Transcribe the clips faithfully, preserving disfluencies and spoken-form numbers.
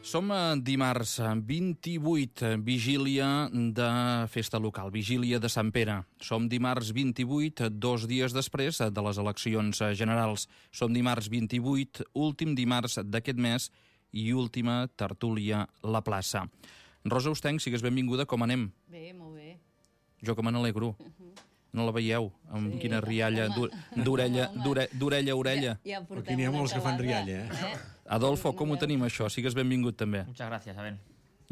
Som dimarts vint-i-vuit, vigília de festa local, vigília de Sant Pere. Som dimarts vint-i-vuit, dos dies després de les eleccions generals. Som dimarts vint-i-vuit, últim dimarts d'aquest mes i última tertúlia La Plaça. Rosa Ostenc, sigues benvinguda, com anem? Bé, molt bé. Jo que me n'alegro. No la veieu? Amb Sí, quina rialla home. d'orella Home. d'ore- d'orella a orella. Ja, ja portem Aquí n'hi ha una molts que fan calada, rialla, eh? Adolfo, com ho tenim això? Sigues benvingut també. Muchas gracias, Abel.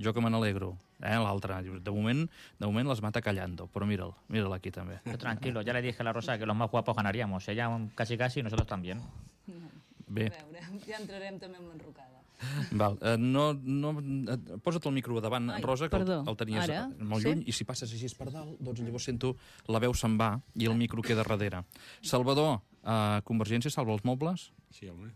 Jo que me n'alegro. Eh, l'altre. De moment, de moment les mata callando, però mira'l, mira'l aquí també. Tú tranquilo, ya le dije a la Rosa que los más guapos ganaríamos. Ella casi casi y nosotros también. Bé, A veure, ja entrarem també en l'enrocada. val. Eh, no, no, eh, posa't el micro davant, Ai, Rosa, que el, perdó. el tenies Ara? molt Sí? lluny, i si passes així per dalt, doncs llavors sento la veu se'n va i el micro queda darrere. Salvador, eh, Convergència salva els mobles? Sí, home.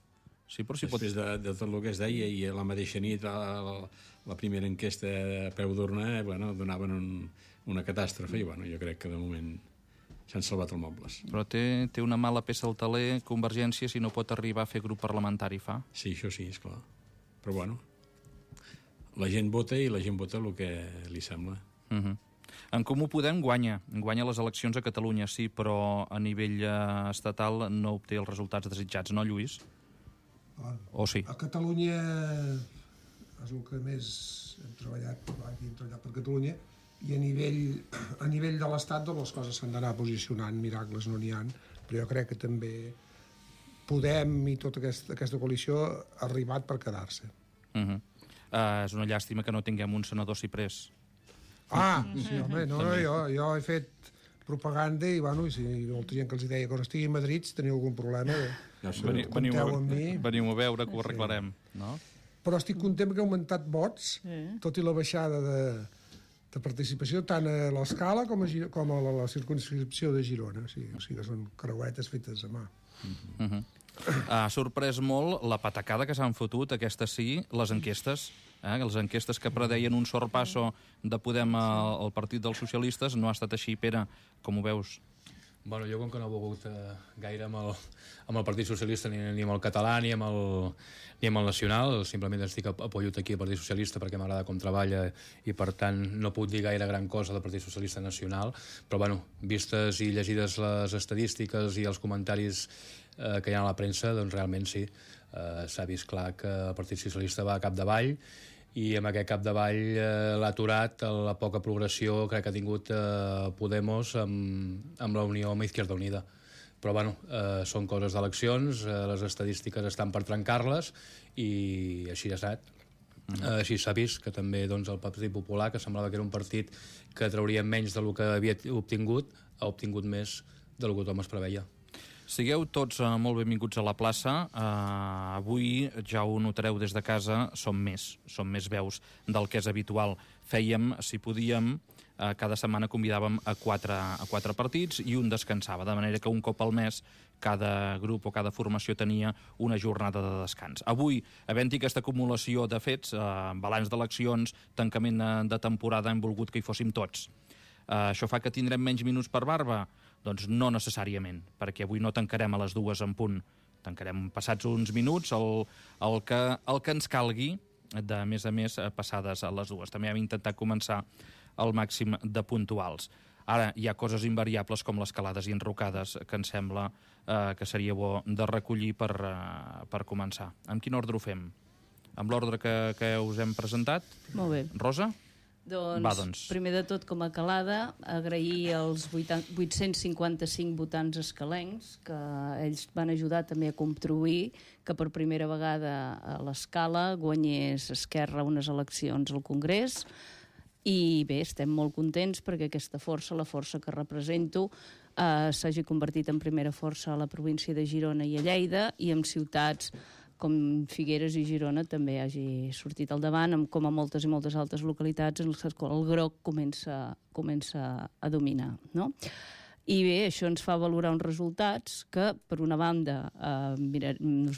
Sí, però si pot... Després de, de tot el que es deia, i a la mateixa nit la, la primera enquesta a peu d'urna, eh, bueno, donaven un, una catàstrofe, i bueno, jo crec que de moment s'han salvat els mobles. Però té, té una mala peça al taler, Convergència, si no pot arribar a fer grup parlamentari, fa. Sí, això sí, esclar. Però bueno, la gent vota i la gent vota el que li sembla. Uh -huh. En Comú Podem guanya, guanya les eleccions a Catalunya, sí, però a nivell eh, estatal no obté els resultats desitjats, no, Lluís? O sí? A Catalunya és el que més hem treballat, hem treballat per Catalunya, i a nivell, a nivell de l'Estat doncs les coses s'han d'anar posicionant, miracles no n'hi ha, però jo crec que també Podem i tota aquesta, aquesta coalició ha arribat per quedar-se. Uh -huh. uh, és una llàstima que no tinguem un senador ciprés. Ah, sí, home, no, no, jo, jo he fet propaganda i, bueno, i si molta gent que els deia que no estigui a Madrid, si teniu algun problema, Ja sé. Veniu, veniu, compteu a, amb mi. veniu a veure que ho arreglarem, no? Però estic content que ha augmentat vots, Sí. tot i la baixada de, de participació tant a l'Escala com a, Giro, com a la, la circunscripció de Girona. O sigui, o sigui que són creuetes fetes a mà. Uh -huh. Ha sorprès molt la patacada que s'han fotut, aquestes sí, les enquestes. Eh? Les enquestes que predeien un sorpasso de Podem al, al Partit dels Socialistes no ha estat així. Pere, com ho veus? Bueno, jo com que no he volgut eh, gaire amb el, amb el Partit Socialista ni, ni amb el català ni amb el, ni amb el nacional, simplement estic apoyat aquí al Partit Socialista perquè m'agrada com treballa i per tant no puc dir gaire gran cosa del Partit Socialista nacional, però bueno, vistes i llegides les estadístiques i els comentaris eh, que hi ha a la premsa, doncs realment sí, eh, s'ha vist clar que el Partit Socialista va a capdavall i amb aquest capdavall eh, l'ha aturat la poca progressió crec que ha tingut eh, Podemos amb, amb la Unió amb Izquierda Unida. Però bueno, eh, són coses d'eleccions, eh, les estadístiques estan per trencar-les i així ha estat. Mm. Eh, així s'ha vist que també doncs, el Partit Popular, que semblava que era un partit que trauria menys del que havia obtingut, ha obtingut més del que tothom es preveia. Sigueu tots uh, molt benvinguts a la plaça. Uh, avui, ja ho notareu des de casa, som més, som més veus del que és habitual. Fèiem, si podíem, uh, cada setmana convidàvem a quatre, a quatre partits i un descansava, de manera que un cop al mes cada grup o cada formació tenia una jornada de descans. Avui, havent-hi aquesta acumulació de fets, uh, balanç d'eleccions, tancament de, de temporada, hem volgut que hi fóssim tots. Uh, això fa que tindrem menys minuts per barba? Doncs no necessàriament, perquè avui no tancarem a les dues en punt. Tancarem passats uns minuts el, el, que, el que ens calgui, de més a més passades a les dues. També hem intentat començar al màxim de puntuals. Ara hi ha coses invariables com les calades i enrocades que em sembla eh, que seria bo de recollir per, eh, per començar. Amb quin ordre ho fem? Amb l'ordre que, que us hem presentat? Molt bé. Rosa? Doncs, Va, doncs. primer de tot, com a calada, agrair als vuit-cents cinquanta-cinc votants escalencs, que ells van ajudar també a contribuir que per primera vegada a l'Escala guanyés Esquerra unes eleccions al Congrés. I bé, estem molt contents perquè aquesta força, la força que represento, eh, s'hagi convertit en primera força a la província de Girona i a Lleida, i en ciutats com Figueres i Girona també hagi sortit al davant, com a moltes i moltes altres localitats en les quals el groc comença, comença a dominar, no? I bé, això ens fa valorar uns resultats que, per una banda, eh, mira,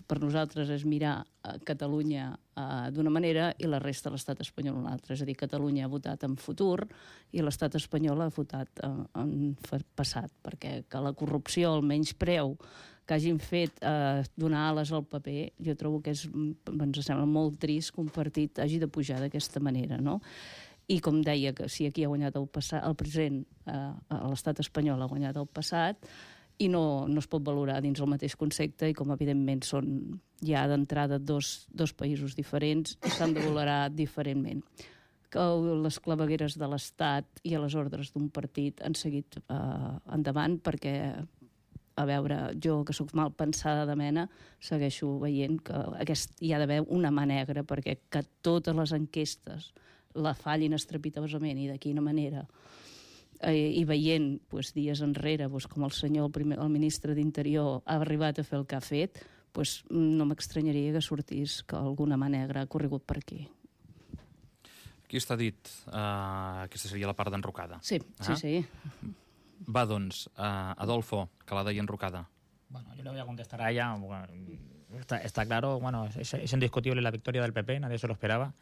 per nosaltres és mirar eh, Catalunya eh, d'una manera i la resta de l'estat espanyol una altra. És a dir, Catalunya ha votat en futur i l'estat espanyol ha votat en, en passat, perquè que la corrupció, el menyspreu que hagin fet eh, donar ales al paper, jo trobo que és, ens sembla molt trist que un partit hagi de pujar d'aquesta manera, no? I com deia, que si aquí ha guanyat el, passat, el present, eh, l'estat espanyol ha guanyat el passat, i no, no es pot valorar dins el mateix concepte, i com evidentment són ja d'entrada dos, dos països diferents, i s'han de valorar diferentment. Que les clavegueres de l'Estat i a les ordres d'un partit han seguit eh, endavant, perquè, a veure, jo que sóc mal pensada de mena, segueixo veient que aquest, hi ha d'haver una mà negra, perquè que totes les enquestes la fallin estrepitosament i de quina manera, eh, i veient pues, dies enrere pues, com el senyor, el, primer, el ministre d'Interior ha arribat a fer el que ha fet, pues, no m'estranyaria que sortís que alguna mà negra ha corregut per aquí. Aquí està dit, uh, aquesta seria la part d'enrocada. Sí, ah? sí, sí. Va, doncs, uh, Adolfo, que la deia enrocada. Bueno, yo le voy a contestar a ella. Bueno, está, está claro, bueno, es, es indiscutible la victoria del P P, nadie se lo esperaba.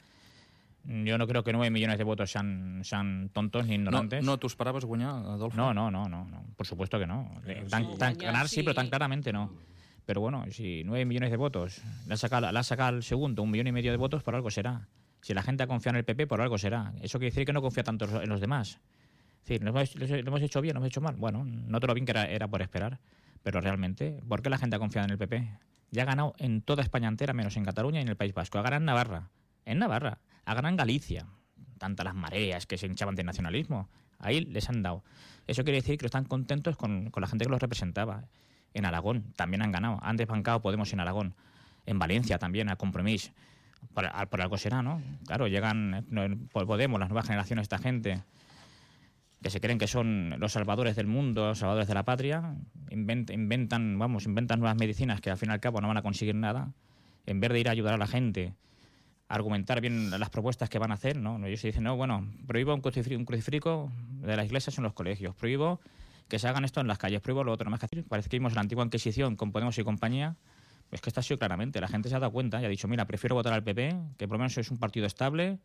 Yo no creo que nueve millones de votos sean, sean tontos ni ignorantes. No, no t'ho esperaves guanyar, Adolfo? No, no, no, no, no, por supuesto que no. Tan, Sí. tan, Ya, ganar sí, sí. pero tan claramente no. Pero bueno, si nueve millones de votos, le ha sacado, le ha sacado al segundo un millón y medio de votos, por algo será. Si la gente ha confiado en el P P, por algo será. Eso quiere decir que no confía tanto en los demás. Es decir, ¿lo hemos, lo hemos hecho bien, lo hemos hecho mal? Bueno, no todo lo bien que era, era por esperar. Pero realmente, ¿por qué la gente ha confiado en el P P? Ya ha ganado en toda España entera, menos en Cataluña y en el País Vasco. Ha ganado en Navarra. En Navarra. Ha ganado en Galicia. Tantas las mareas que se hinchaban de nacionalismo. Ahí les han dado. Eso quiere decir que están contentos con, con la gente que los representaba. En Aragón también han ganado. Han desbancado Podemos en Aragón. En Valencia también, a Compromís. Por, por algo será, ¿no? Claro, llegan por Podemos, las nuevas generaciones, esta gente que se creen que son los salvadores del mundo, los salvadores de la patria, invent, inventan, vamos, inventan nuevas medicinas que al fin y al cabo no van a conseguir nada. En vez de ir a ayudar a la gente, argumentar bien las propuestas que van a hacer, ¿no? Ellos se dicen, no, bueno, prohíbo un crucifijo, un crucifijo de las iglesias en los colegios, prohíbo que se hagan esto en las calles, prohíbo lo otro, no más que decir. Parece que vimos la antigua Inquisición con Podemos y compañía, pues que esto ha sido claramente, la gente se ha dado cuenta y ha dicho, mira, prefiero votar al P P, que por lo menos es un partido estable,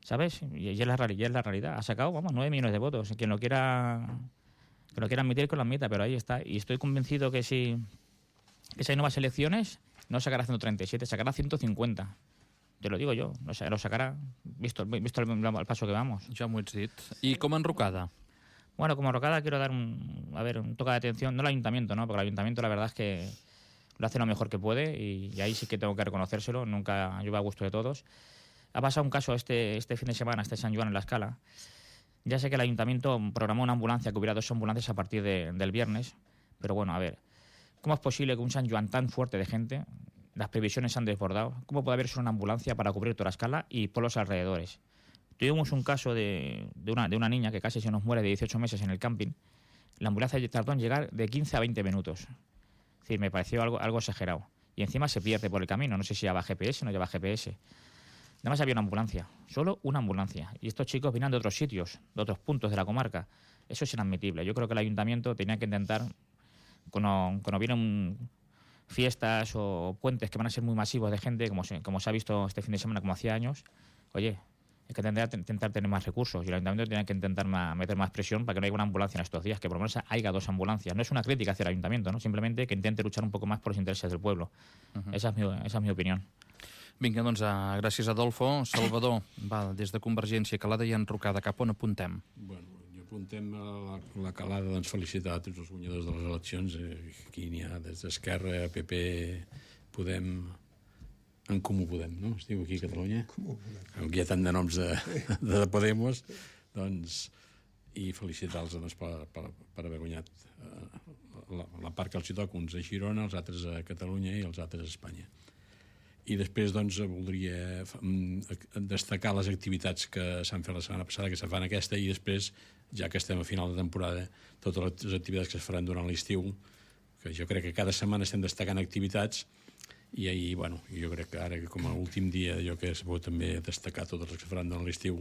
¿sabes? Y es la, y es la realidad. Ha sacado, vamos, nueve millones de votos. Quien lo quiera, que lo quiera admitir, que lo admita, pero ahí está. Y estoy convencido que si, que si hay nuevas elecciones, no sacará ciento treinta y siete, sacará ciento cincuenta. Te lo digo yo, lo sacará, visto, visto el, el paso que vamos. Ja m'ho ets dit. I com a enrocada? Bueno, como enrocada quiero dar un, a ver, un toque de atención, no al ayuntamiento, ¿no? Porque el ayuntamiento la verdad es que lo hace lo mejor que puede y, y ahí sí que tengo que reconocérselo, nunca lleva a gusto de todos. Ha pasado un caso este, este fin de semana, este San Joan en La Escala. Ya sé que el ayuntamiento programó una ambulancia, que hubiera dos ambulancias a partir de, del viernes, pero bueno, a ver, ¿cómo es posible que un San Joan tan fuerte de gente, las previsiones se han desbordado, cómo puede haber solo una ambulancia para cubrir toda La Escala y por los alrededores? Tuvimos un caso de, de, una, de una niña que casi se nos muere de dieciocho meses en el camping. La ambulancia tardó en llegar de quince a veinte minutos. Es decir, me pareció algo, algo exagerado. Y encima se pierde por el camino. No sé si lleva G P S o no lleva G P S. Además había una ambulancia. Solo una ambulancia. Y estos chicos venían de otros sitios, de otros puntos de la comarca. Eso es inadmitible. Yo creo que el ayuntamiento tenía que intentar, cuando, cuando vienen fiestas o puentes que van a ser muy masivos de gente, como se, como se ha visto este fin de semana, como hacía años, oye, hay que intentar, intentar tener más recursos y el ayuntamiento tiene que intentar más, meter más presión para que no haya una ambulancia en estos días, que por lo menos haya dos ambulancias. No es una crítica hacia el ayuntamiento, ¿no? Simplemente que intente luchar un poco más por los intereses del pueblo. Uh-huh. Esa, es mi, esa es mi opinión. Vinga, doncs, uh, gràcies, Adolfo. Salvador, va, des de Convergència, calada i enrocada, cap on apuntem? Bueno, jo apuntem a la, la calada, doncs, felicitar a tots els guanyadors de les eleccions. Eh, aquí n'hi ha des d'Esquerra, P P, Podem... En Comú Podem, no? Es diu aquí a Catalunya. Comú Podem. Aquí hi ha tant de noms de, de Podemos, doncs, i felicitar-los doncs, per, per, per haver guanyat eh, la, la part que els hi toca, uns a Girona, els altres a Catalunya i els altres a Espanya. I després, doncs, voldria destacar les activitats que s'han fet la setmana passada, que se fan aquesta, i després, ja que estem a final de temporada, totes les activitats que es faran durant l'estiu, que jo crec que cada setmana estem destacant activitats. I ahir, bueno, jo crec que ara, com a últim dia, jo que es pot també destacar totes les que faran durant l'estiu,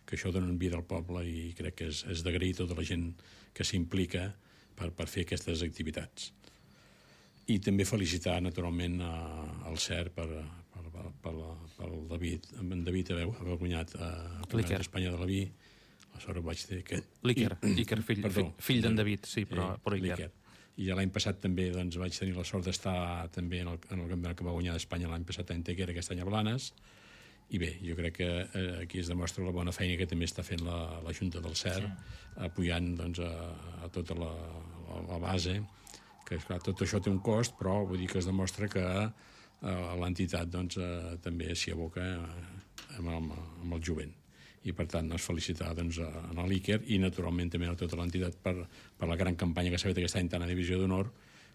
que això dona vida al poble i crec que és, és d'agrair tota la gent que s'implica per, per fer aquestes activitats. I també felicitar, naturalment, al C E R per, per, per, per, per el David, en David haver, haver guanyat el Campionat d'Espanya de la Vi. Aleshores vaig dir que... L'Iker, Iker, fill, Perdó, fill d'en David, sí, però, eh, però Iker. I ja l'any passat també doncs, vaig tenir la sort d'estar també en el, en el campionat que va guanyar d'Espanya l'any passat a Antequera, aquest any a Blanes. I bé, jo crec que eh, aquí es demostra la bona feina que també està fent la, la Junta del C E R, sí. apoyant doncs, a, a tota la, la, la base, que esclar, tot això té un cost, però vull dir que es demostra que eh, l'entitat doncs, eh, també s'hi aboca eh, amb, amb, amb el jovent. I per tant, doncs, felicitar doncs, a l'Iker i naturalment també a tota l'entitat per, per la gran campanya que s'ha fet aquest any tant a Divisió d'Honor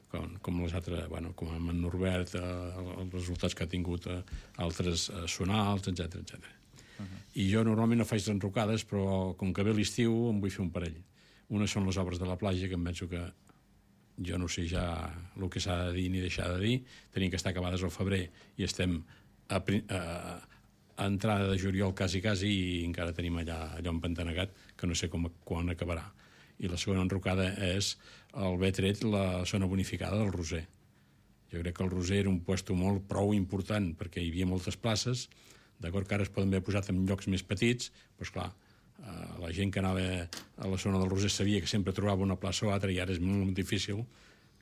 com, com les altres, bueno, com amb en Norbert, eh, els resultats que ha tingut eh, altres eh, sonals, etcètera, etcètera. Uh-huh. I jo normalment no faig enrocades, però com que ve l'estiu em vull fer un parell. Una són les obres de la platja, que em penso que jo no sé ja el que s'ha de dir ni deixar de dir. Tenien que estar acabades al febrer i estem a, a, a entrada de juliol quasi, quasi, i encara tenim allà, allò empantanegat, que no sé com, quan acabarà. I la segona enrocada és haver tret la zona bonificada del Roser. Jo crec que el Roser era un puesto molt prou important perquè hi havia moltes places, d'acord que ara es poden haver posat en llocs més petits, però esclar, eh, la gent que anava a la zona del Roser sabia que sempre trobava una plaça o altra i ara és molt difícil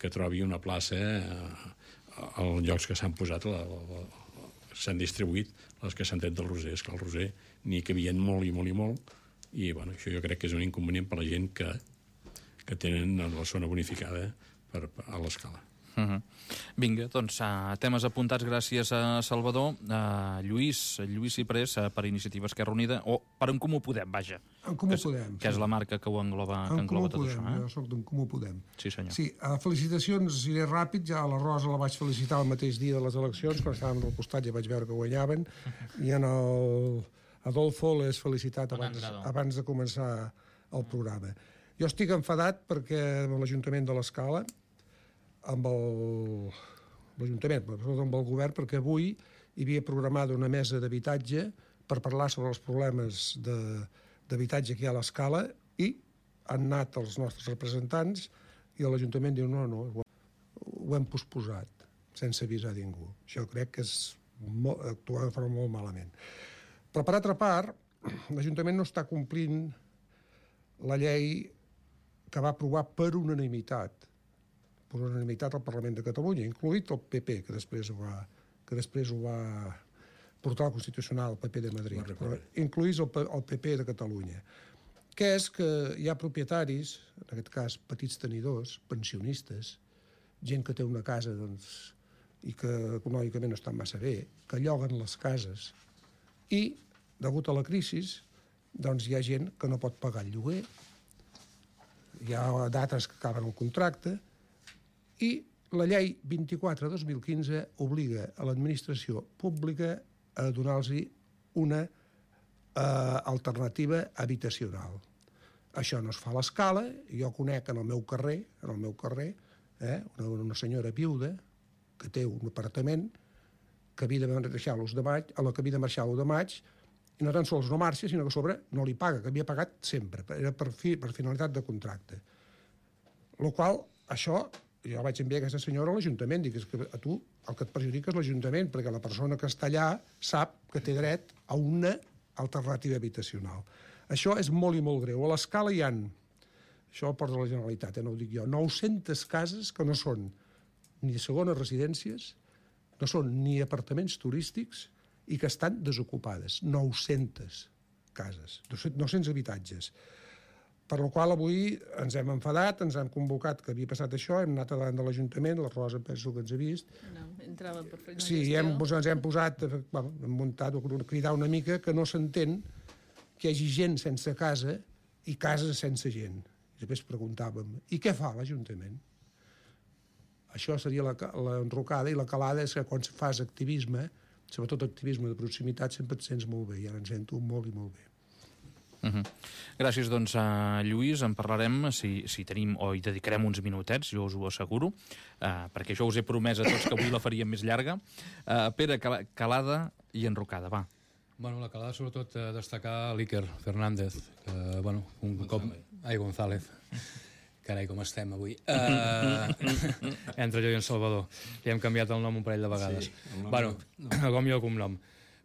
que trobi una plaça eh, als llocs que s'han posat, la, la, la, s'han distribuït les que s'han tret del Roser. És que el Roser n'hi cabien molt i molt i molt, i bueno, això jo crec que és un inconvenient per a la gent que, que tenen la zona bonificada per, per, a l'escala. Uh-huh. Vinga, doncs uh, temes apuntats, gràcies a Salvador. Uh, Lluís, Lluís Ciprés, uh, per Iniciativa Esquerra Unida, o per En Comú Podem, vaja. En Comú que, Podem. Que sí. És la marca que ho engloba, que engloba tot Podem, això. Eh? Jo soc d'En Comú Podem. Sí, senyor. Sí, uh, felicitacions, iré ràpid, ja a la Rosa la vaig felicitar el mateix dia de les eleccions, quan estàvem al costat ja vaig veure que guanyaven, i en el Adolfo l'he felicitat abans, abans de començar el programa. Jo estic enfadat perquè amb l'Ajuntament de l'Escala, amb l'Ajuntament, sobretot amb el govern, perquè avui hi havia programada una mesa d'habitatge per parlar sobre els problemes d'habitatge que hi ha a l'Escala, i han anat els nostres representants i l'Ajuntament diu no, no, ho hem posposat sense avisar ningú. Això crec que és molt, actuar de forma molt malament. Però per altra part, l'Ajuntament no està complint la llei que va aprovar per unanimitat per unanimitat al Parlament de Catalunya, incloït el P P, que després ho va, que després ho va portar al Constitucional, el P P de Madrid, però incloïs el, el P P de Catalunya, que és que hi ha propietaris, en aquest cas petits tenidors, pensionistes, gent que té una casa doncs, i que econòmicament no està massa bé, que lloguen les cases, i, degut a la crisi, doncs hi ha gent que no pot pagar el lloguer, hi ha dates que acaben el contracte, i la llei vint-i-quatre dos mil quinze obliga a l'administració pública a donar-los una eh, alternativa habitacional. Això no es fa a l'Escala, jo conec en el meu carrer, en el meu carrer, eh, una, una senyora viuda que té un apartament que havia de marxar l'u de maig, a la que havia de marxar l'u de maig, i no tan sols no marxa, sinó que a sobre no li paga, que havia pagat sempre, era per, fi, per finalitat de contracte. Lo qual, això, jo vaig enviar aquesta senyora a l'Ajuntament, dic que a tu el que et perjudica és l'Ajuntament, perquè la persona que està allà sap que té dret a una alternativa habitacional. Això és molt i molt greu. A l'Escala hi ha, això ho porta la Generalitat, eh, no ho dic jo, nou-centes cases que no són ni segones residències, no són ni apartaments turístics i que estan desocupades. nou-centes cases, nou-cents habitatges. Per la qual avui ens hem enfadat, ens hem convocat que havia passat això, hem anat davant de l'Ajuntament, la Rosa penso que ens ha vist. No, entrava per fer una sí, gestió. hem, doncs, ens hem posat, bueno, hem muntat, a cridar una mica que no s'entén que hi hagi gent sense casa i cases sense gent. I després preguntàvem, i què fa l'Ajuntament? Això seria l'enrocada, i la calada és que quan fas activisme, sobretot activisme de proximitat, sempre et sents molt bé, i ara ens sento molt i molt bé. Uh-huh. Gràcies, doncs, a Lluís. En parlarem, si, si tenim, o hi dedicarem uns minutets, jo us ho asseguro, uh, perquè jo us he promès a tots que avui la faríem més llarga. Uh, Pere, calada i enrocada, va. Bueno, la calada, sobretot, eh, destacar l'Iker Fernández, que, bueno, un González. cop... Ai, González. Que Carai, com estem avui. Uh, entre jo i en Salvador. Ja hem canviat el nom un parell de vegades. Sí, bueno, no. Com jo, cognom.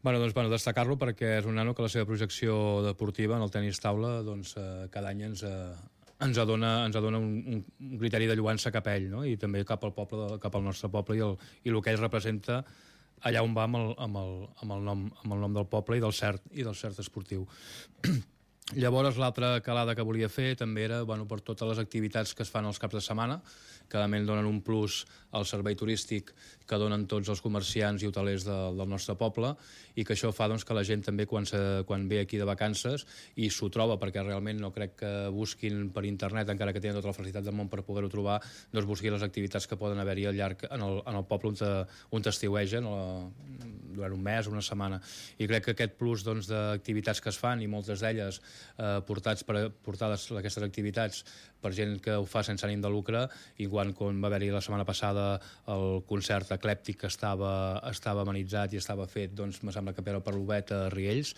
Bueno, doncs, bueno, destacar-lo perquè és un nano que la seva projecció deportiva en el tenis taula doncs, uh, cada any ens, uh, ens adona, ens adona un, un criteri de lluança cap a ell, no? I també cap al poble, cap al nostre poble i el, i el que ell representa allà on va amb el, amb el, amb el, nom, amb el nom del poble i del cert, i del cert esportiu. Llavors, l'altra calada que volia fer també era bueno, per totes les activitats que es fan els caps de setmana, que a més donen un plus al servei turístic que donen tots els comerciants i hotelers de, del nostre poble, i que això fa doncs, que la gent també quan, se, quan ve aquí de vacances i s'ho troba, perquè realment no crec que busquin per internet, encara que tenen tota la facilitat del món per poder-ho trobar, doncs busquin les activitats que poden haver-hi al llarg en el, en el poble on, te, on t'estiuegen durant un mes o una setmana. I crec que aquest plus doncs, d'activitats que es fan, i moltes d'elles eh, portats per, portades aquestes activitats per gent que ho fa sense ànim de lucre, i quan, quan va haver-hi la setmana passada el concert eclèptic que estava, estava amenitzat i estava fet, doncs me sembla que per l'Obet a Riells.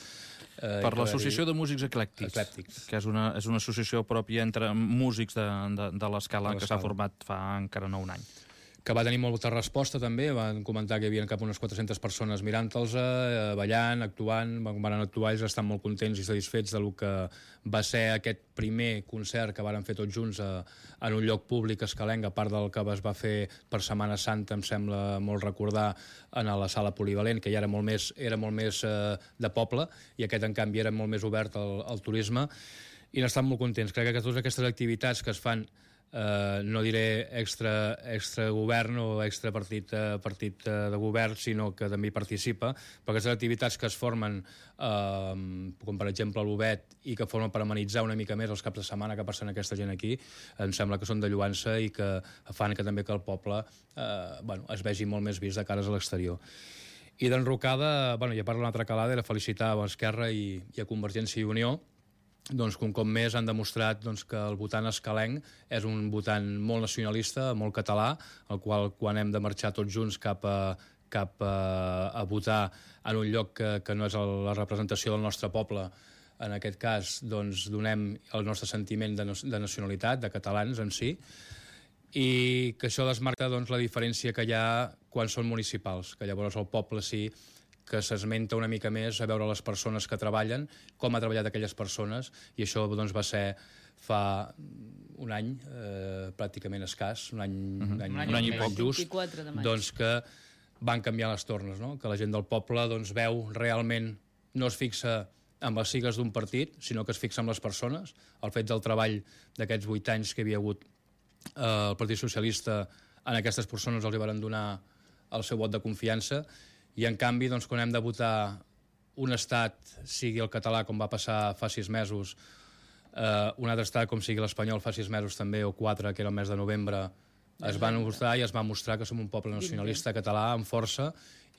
Eh, per l'Associació de Músics Eclèctics, Eclèctics, que és una, és una associació pròpia entre músics de, de, de l'Escala, que s'ha format fa encara no un any. Que va tenir molta resposta també, van comentar que hi havia cap unes quatre-centes persones mirant-los, eh, ballant, actuant, van actuar, ells estan molt contents i satisfets del que va ser aquest primer concert que varen fer tots junts a, en un lloc públic escalenc, a part del que es va fer per Setmana Santa, em sembla molt recordar, en la sala polivalent, que ja era molt més, era molt més eh, de poble, i aquest en canvi era molt més obert al, al turisme, i n'estan molt contents. Crec que totes aquestes activitats que es fan Uh, no diré extra, extra govern o extra partit, uh, partit uh, de govern, sinó que també hi participa, però aquestes activitats que es formen, uh, com per exemple l'Obet, i que formen per amenitzar una mica més els caps de setmana que passen aquesta gent aquí, em sembla que són de lluança i que fan que també que el poble uh, bueno, es vegi molt més vist de cares a l'exterior. I d'enrocada, bueno, i a part d'una altra calada, era felicitar a Esquerra i, i a Convergència i Unió, doncs, un cop més han demostrat doncs, que el votant escalenc és un votant molt nacionalista, molt català, el qual quan hem de marxar tots junts cap a, cap a, a votar en un lloc que, que no és el, la representació del nostre poble, en aquest cas doncs, donem el nostre sentiment de, de nacionalitat, de catalans en si, i que això desmarca doncs, la diferència que hi ha quan són municipals, que llavors el poble sí que s'esmenta una mica més a veure les persones que treballen, com ha treballat aquelles persones, i això doncs, va ser fa un any, eh, pràcticament escàs, un any, uh-huh. un any, un any, un any i poc, vint-i-quatre de maig. doncs que van canviar les tornes, no? Que la gent del poble doncs, veu realment, no es fixa amb les sigles d'un partit, sinó que es fixa en les persones, el fet del treball d'aquests vuit anys que hi havia hagut eh, el Partit Socialista, en aquestes persones els hi van donar el seu vot de confiança, i en canvi, doncs, quan hem de votar un estat, sigui el català, com va passar fa sis mesos, eh, un altre estat, com sigui l'espanyol, fa sis mesos també, o quatre, que era el mes de novembre, es van votar i es va mostrar que som un poble nacionalista català amb força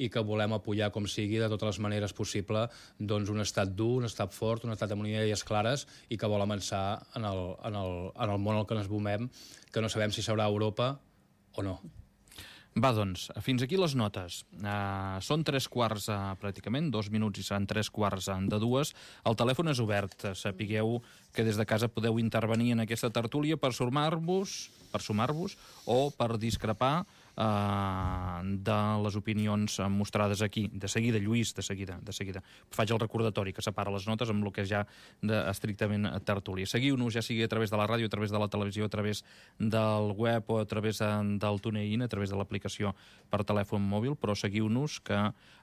i que volem apoyar com sigui de totes les maneres possible doncs, un estat dur, un estat fort, un estat amb idees clares i que vol avançar en el, en el, en el món al que ens movem, que no sabem si serà Europa o no. Va, doncs, fins aquí les notes. Uh, són tres quarts, uh, pràcticament, dos minuts i seran tres quarts de dues. El telèfon és obert. Sapigueu que des de casa podeu intervenir en aquesta tertúlia per sumar-vos per sumar-vos o per discrepar uh, de les opinions mostrades aquí. De seguida, Lluís, de seguida, de seguida. Faig el recordatori que separa les notes amb el que és ja de, estrictament tertúlia. Seguiu-nos, ja sigui a través de la ràdio, a través de la televisió, a través del web o a través del TuneIn, a través de l'aplicació per telèfon mòbil, però seguiu-nos, que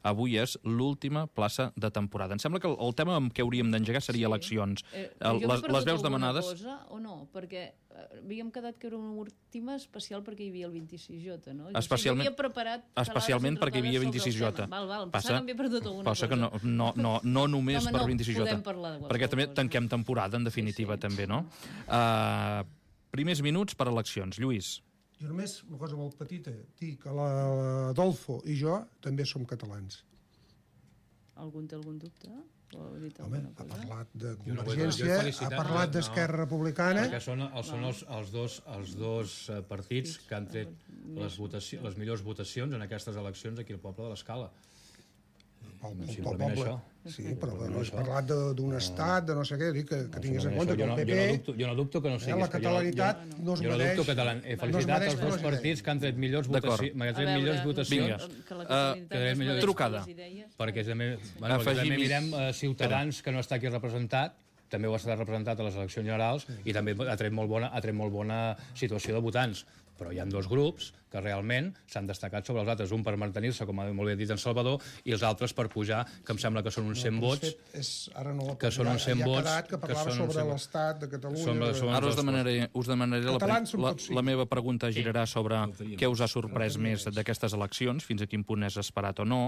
avui és l'última plaça de temporada. Em sembla que el, el tema amb què hauríem d'engegar seria sí. eleccions. Eh, el, les, les veus demanades... Cosa, o no? Perquè havíem quedat que era una última especial perquè hi havia el vint-i-sis J, no? Especialment, havia preparat especialment perquè hi havia vint-i-sis J. Val, val, passa que per tot passa que no, no, no, no només no, per no, vint-i-sis J, perquè també cosa. tanquem temporada, en definitiva, sí, sí. també, no? Uh, primers minuts per eleccions. Lluís. Jo només, una cosa molt petita, dir que l'Adolfo i jo també som catalans. Algun té algun dubte? Home, ha parlat de Convergència, ha parlat d'Esquerra Republicana... Perquè són, els, són els, els dos, els dos partits que han tret les, votació, les millors votacions en aquestes eleccions aquí al poble de l'Escala. pel, pel simplement poble. això. Sí, però no has parlat d'un estat, de no sé què, dic que, que tinguis en compte que jo el no, P P... Jo no dubto, jo no dubto que no eh, siguis. la catalanitat jo, no es jo no mereix... dubto catalan... He felicitat no els dos partits que han tret millors votacions. A Tret veure, millors votacions. Vinga. que la Uh, catalanitat que es millor- mereix trucada. les idees. Perquè també, bueno, perquè també mirem eh, Ciutadans, que no està aquí representat, també ho ha estat representat a les eleccions generals i també ha tret molt bona, ha tret molt bona situació de votants. Però hi ha dos grups que realment s'han destacat sobre els altres, un per mantenir-se, com ha molt bé dit en Salvador, i els altres per pujar, que em sembla que són uns cent vots. És, ara no que són uns cent vots, quedat, que parlava que són sobre cent l'estat de Catalunya... Sobre- de... sobre- Ara us demanaré, us demanaré la, Catalans som la, tots cinc. la meva pregunta girarà sobre què us ha sorprès més d'aquestes eleccions, fins a quin punt és esperat o no.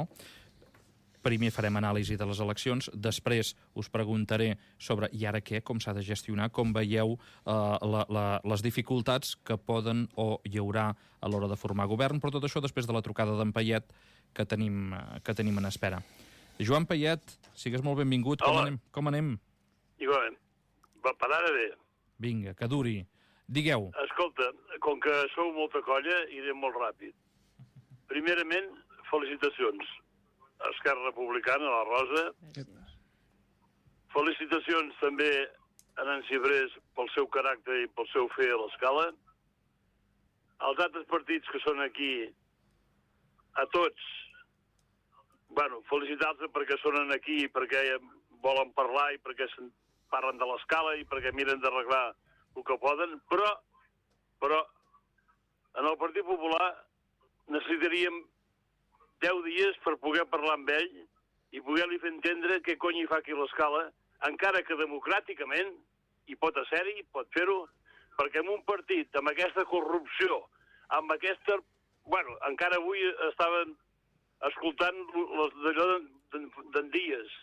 Primer farem anàlisi de les eleccions, després us preguntaré sobre i ara què, com s'ha de gestionar, com veieu eh, la, la, les dificultats que poden o hi haurà a l'hora de formar govern, però tot això després de la trucada d'en Payet que tenim, eh, que tenim en espera. Joan Payet, sigues molt benvingut. Com Hola. anem? Com anem? Igualment. Va, per ara bé. Vinga, que duri. Digueu. Escolta, com que sou molta colla, iré molt ràpid. Primerament, felicitacions a Esquerra Republicana, a la Rosa. Felicitacions també a Nancy Brés pel seu caràcter i pel seu fer a l'escala. Els altres partits que són aquí, a tots, bueno, felicitar-los perquè són aquí, perquè volen parlar i perquè parlen de l'escala i perquè miren d'arreglar el que poden, però, però en el Partit Popular necessitaríem deu dies per poder parlar amb ell i poder-li fer entendre què cony hi fa aquí l'escala, encara que democràticament hi pot ser-hi, pot fer-ho, perquè en un partit amb aquesta corrupció, amb aquesta... Bueno, encara avui estaven escoltant d'allò d'en Díaz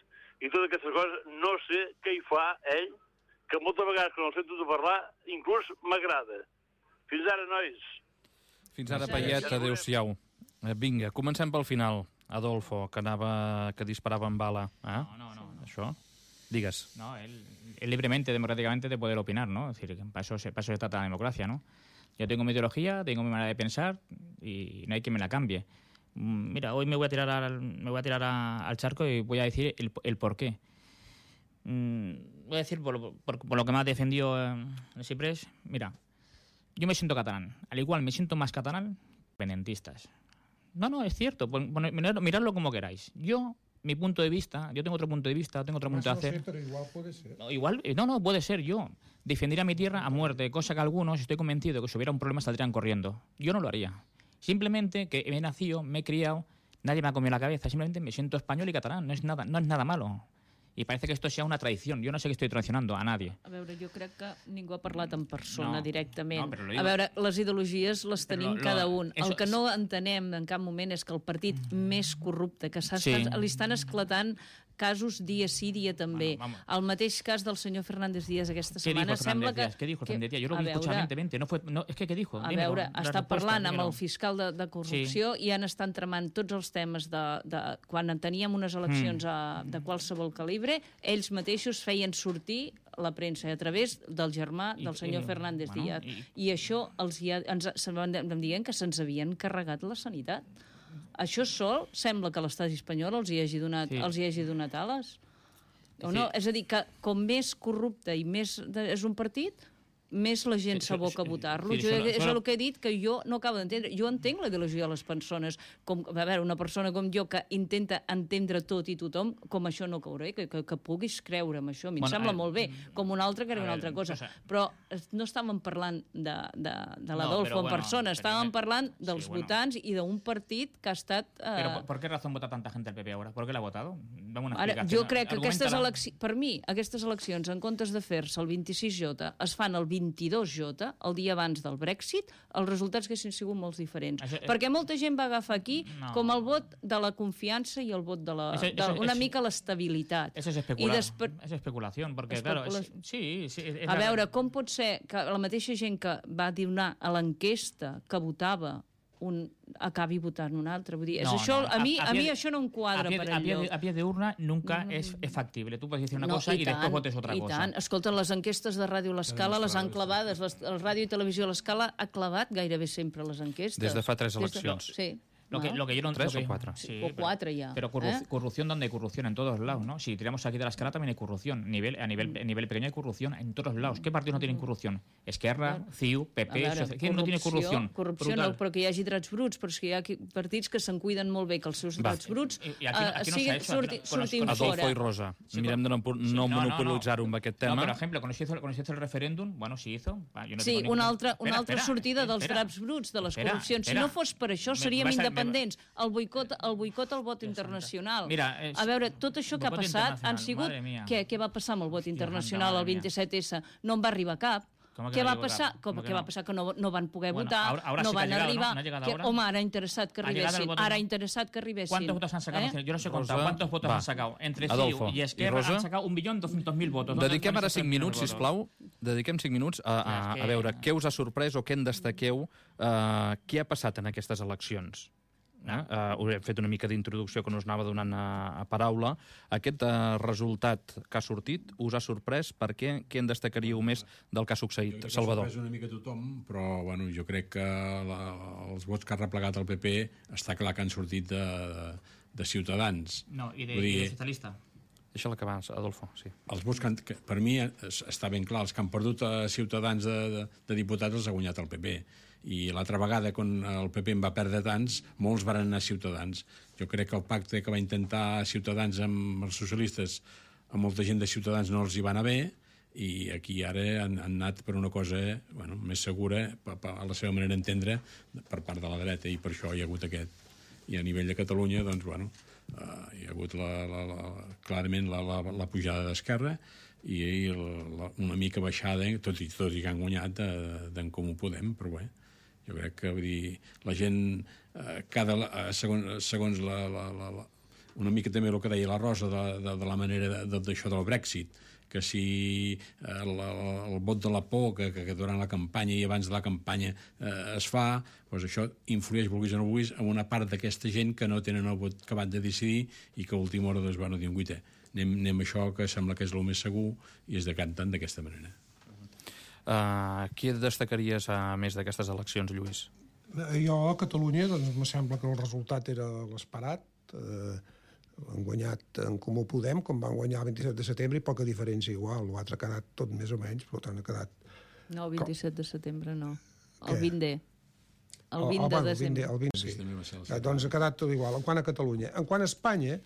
i totes aquestes coses, no sé què hi fa ell, que moltes vegades quan el sento de parlar, inclús m'agrada. Fins ara, nois. Fins ara, Payet, adéu-siau. Eh, Vinga, comencem pel final. Adolfo, que anava, que disparava amb bala. Eh? No, no, no. no. Això? Digues. No, él, él libremente, democráticamente, de poder opinar, ¿no? Es decir, que para eso, se, para eso se trata la democracia, ¿no? Yo tengo mi ideología, tengo mi manera de pensar y no hay quien me la cambie. Mm, Mira, hoy me voy a tirar al, me voy a tirar a- al charco y voy a decir el, el por qué. Mm, voy a decir por, lo- por- por lo que me ha defendido eh, el Ciprés. Mira, yo me siento catalán. Al igual me siento más catalán, independentistas. No, no, es cierto. Pon- pon- mirad- miradlo como queráis. Yo, mi punto de vista, yo tengo otro punto de vista, tengo otro Más punto de no sé, hacer. pero igual puede ser. No, igual, eh, no, no, puede ser yo. Defendería mi tierra a muerte, cosa que algunos, estoy convencido que si hubiera un problema saldrían corriendo. Yo no lo haría. Simplemente que he nacido, me he criado, nadie me ha comido la cabeza, simplemente me siento español y catalán, no es nada, no es nada malo. I parece que esto sea una tradición. Jo no sé que estoy traicionando a nadie. A veure, jo crec que ningú ha parlat en persona No, directament. no, però lo a digo- veure, les ideologies les Però tenim lo- cada un. eso El que es- no entenem en cap moment és que el partit més corrupte, que s'ha Sí. estat, li estan esclatant casos dia sí, dia també. Bueno, vamos. El mateix cas del senyor Fernández Díaz aquesta ¿Qué setmana dijo sembla Fernández que... Díaz? ¿Qué dijo que- Fernández Díaz? Yo lo a vi veure, escuchadamente. No fue, no, es que, ¿qué dijo? A Dímelo, veure, la està respuesta, parlant amb dímelo. el fiscal de, de corrupció i han estat tramant tots els temes de, de quan teníem unes eleccions Mm. a, de qualsevol calibre, ells mateixos feien sortir la premsa a través del germà I- del senyor i- Fernández bueno, Díaz. i- I això els hi ha, ens se'n van em dient que se'ns havien carregat la sanitat. Això sol sembla que l'estat espanyol els hi hagi donat, Sí. els hi hagi donat ales. O Sí. no? És a dir, que com més corrupte i més de, és un partit, més la gent Sí, s'aboca a sí, votar-lo. sí, Jo, solo- és solo- el que he dit, que jo no acabo d'entendre. Jo entenc la ideologia de les persones. Com, a veure, una persona com jo que intenta entendre tot i tothom, com això no cauré, que, que, que puguis creure en això. A mi em Bueno, sembla eh, molt bé. Com un altre que era a una veure, altra cosa. o sea- Però es- no estàvem parlant de, de, de No, l'Adolfo però en bueno, persona, però- estàvem parlant sí, dels bueno. votants i d'un partit que ha estat... Eh, Pero ¿por, por qué razón vota tanta gente el P P ahora? ¿Por qué la ha votado? Dame una Ara, explicación. jo crec que aquestes Argumentala. eleccions, per mi, aquestes eleccions, en comptes de fer-se el vint-i-sis jota, es fan el vint-i-dos jota, el dia abans del Brexit, els resultats haguessin sigut molt diferents. Això, eh, Perquè molta gent va agafar aquí No. com el vot de la confiança i el vot de la, Eso- de eso- una eso- mica l'estabilitat. Eso es especular. Es especulación, porque claro, es- sí, sí. es A la- veure, com pot ser que la mateixa gent que va donar a l'enquesta que votava un acabi votant un altre? Vull dir, és No, això, no, a, mi, a, pie mi de- això no em quadra a pie, per a pie, enlloc. de, a pie de urna nunca es, es factible. Tú puedes decir una No, cosa y, i después tant, votes otra i cosa. tant. Escolta, les enquestes de Ràdio L'Escala les han clavades. Les, el Ràdio i Televisió L'Escala ha clavat gairebé sempre les enquestes. Des de fa tres Des de- eleccions. Sí. Lo que, lo que yo no, Tres lo que, o cuatro. Sí, O cuatro ya, Pero corru- ¿eh? corrupción donde hay corrupción en todos lados, ¿no? Si tiramos aquí de la escala también hay corrupción. Nivel, a, nivel, a nivel pequeño hay corrupción en todos lados. ¿Qué partidos no tienen corrupción? Esquerra, C I U, P A P, veure, Soci- ¿quién no tiene corrupción? Corrupció Brutal. no, però que hi hagi drets bruts, però és que hi ha qui- partits que se'n cuiden molt bé que els seus Va. drets bruts I- i aquí no- eh, aquí no siguin, s'ha hecho, surti, aquí no- con los- surtin con los- fora. Adolfo i Rosa, Sí, mirem de no, sí, no no, no, monopolitzar-ho no. amb aquest No, tema. pero, ejemplo, cuando se hizo, cuando se hizo el referéndum, bueno, se hizo. Va, yo no Sí, tengo ningún- una altra, una Espera, altra espera, sortida dels espera. draps bruts, de les Espera, corrupcions. Si espera. no fos per això, Me- seríem vas a- me- independents. El boicot, el boicot al vot internacional. Mira, és- A veure, tot això que ha boicot passat han internacional, sigut... madre mía. Què, què va passar amb el vot Hòstia, internacional santa, el madre mía. vint-i-set esse? No en va arribar cap. Com que Què no va llegó passar? cap? Com Com que que va no? passar? Que no, no van poder Bueno, votar, ahora- ahora no sí que ha van llegado, arribar. ¿no? ¿No ha llegado que, ahora? home, ara ha interessat que Ha llegado el arribessin. voto- Ara ha interessat que arribessin. ¿Cuántos votos han sacado? Eh? Yo no sé Rosa, contar. ¿Cuántos votos va. han sacado? Entre Adolfo, C I U y ¿y Esquerra Rosa? han sacado un millón doscientos mil votos. ¿Dónde- Dediquem dónde ara están cinc esos minuts, votos? sisplau. Dediquem cinc minuts a, a, És que- a veure què us ha sorprès o què en destaqueu, uh, què ha passat en aquestes eleccions. Eh? Uh, us hem fet una mica d'introducció que no us anava donant a, a paraula. Aquest uh, resultat que ha sortit us ha sorprès? Per què? Què en destacaríeu més del que ha Jo succeït? crec que Salvador. s'ha sorprès una mica tothom, però bueno, jo crec que la, els vots que ha replegat el P P està clar que han sortit de, de, de Ciutadans. No, y de, Vull y de dir, socialista. Deixa-la acabar, Adolfo. Sí. els vots que, han, que per mi es- està ben clar, els que han perdut a Ciutadans de, de, de diputats els ha guanyat el P P, i l'altra vegada quan el P P en va perdre tants, molts van anar a Ciutadans. Jo crec que el pacte que va intentar Ciutadans amb els socialistes, a molta gent de Ciutadans no els hi va anar bé, i aquí ara han, han anat per una cosa bueno, més segura, pa, pa, a la seva manera d'entendre, per part de la dreta, i per això hi ha hagut aquest. I a nivell de Catalunya, doncs, bueno, uh, hi ha hagut la, la, la, clarament la, la, la pujada d'Esquerra i, i la, una mica baixada, tot i, tot i que han guanyat d'en Comú Podem, però bé, jo crec que vull dir, la gent, eh, cada, eh, segons, segons la, la, la, la, una mica també el que deia la Rosa de, de, de la manera d'això de, del Brexit, que si eh, el, el vot de la por que, que durant la campanya i abans de la campanya eh, es fa, doncs això influeix, vulguis o no vulguis, en una part d'aquesta gent que no tenen el vot acabat de decidir i que a última hora doncs, van dir, guita, anem, anem a això que sembla que és el més segur i es decanten d'aquesta manera. Uh, qui destacaries a més d'aquestes eleccions, Lluís? Eh, Jo, a Catalunya, doncs, me sembla que el resultat era l'esperat. Eh, han guanyat en Comú Podem, com van guanyar el vint-i-set de setembre, i poca diferència igual. L'altre ha quedat tot més o menys, però tant ha quedat... No, el vint-i-set de setembre no. El Què? vint D. El Oh, vint oh, de bueno, desembre. El vint, sí. Aquest també va ser el Eh, doncs ha quedat tot igual. En quant a Catalunya. En quant a Espanya,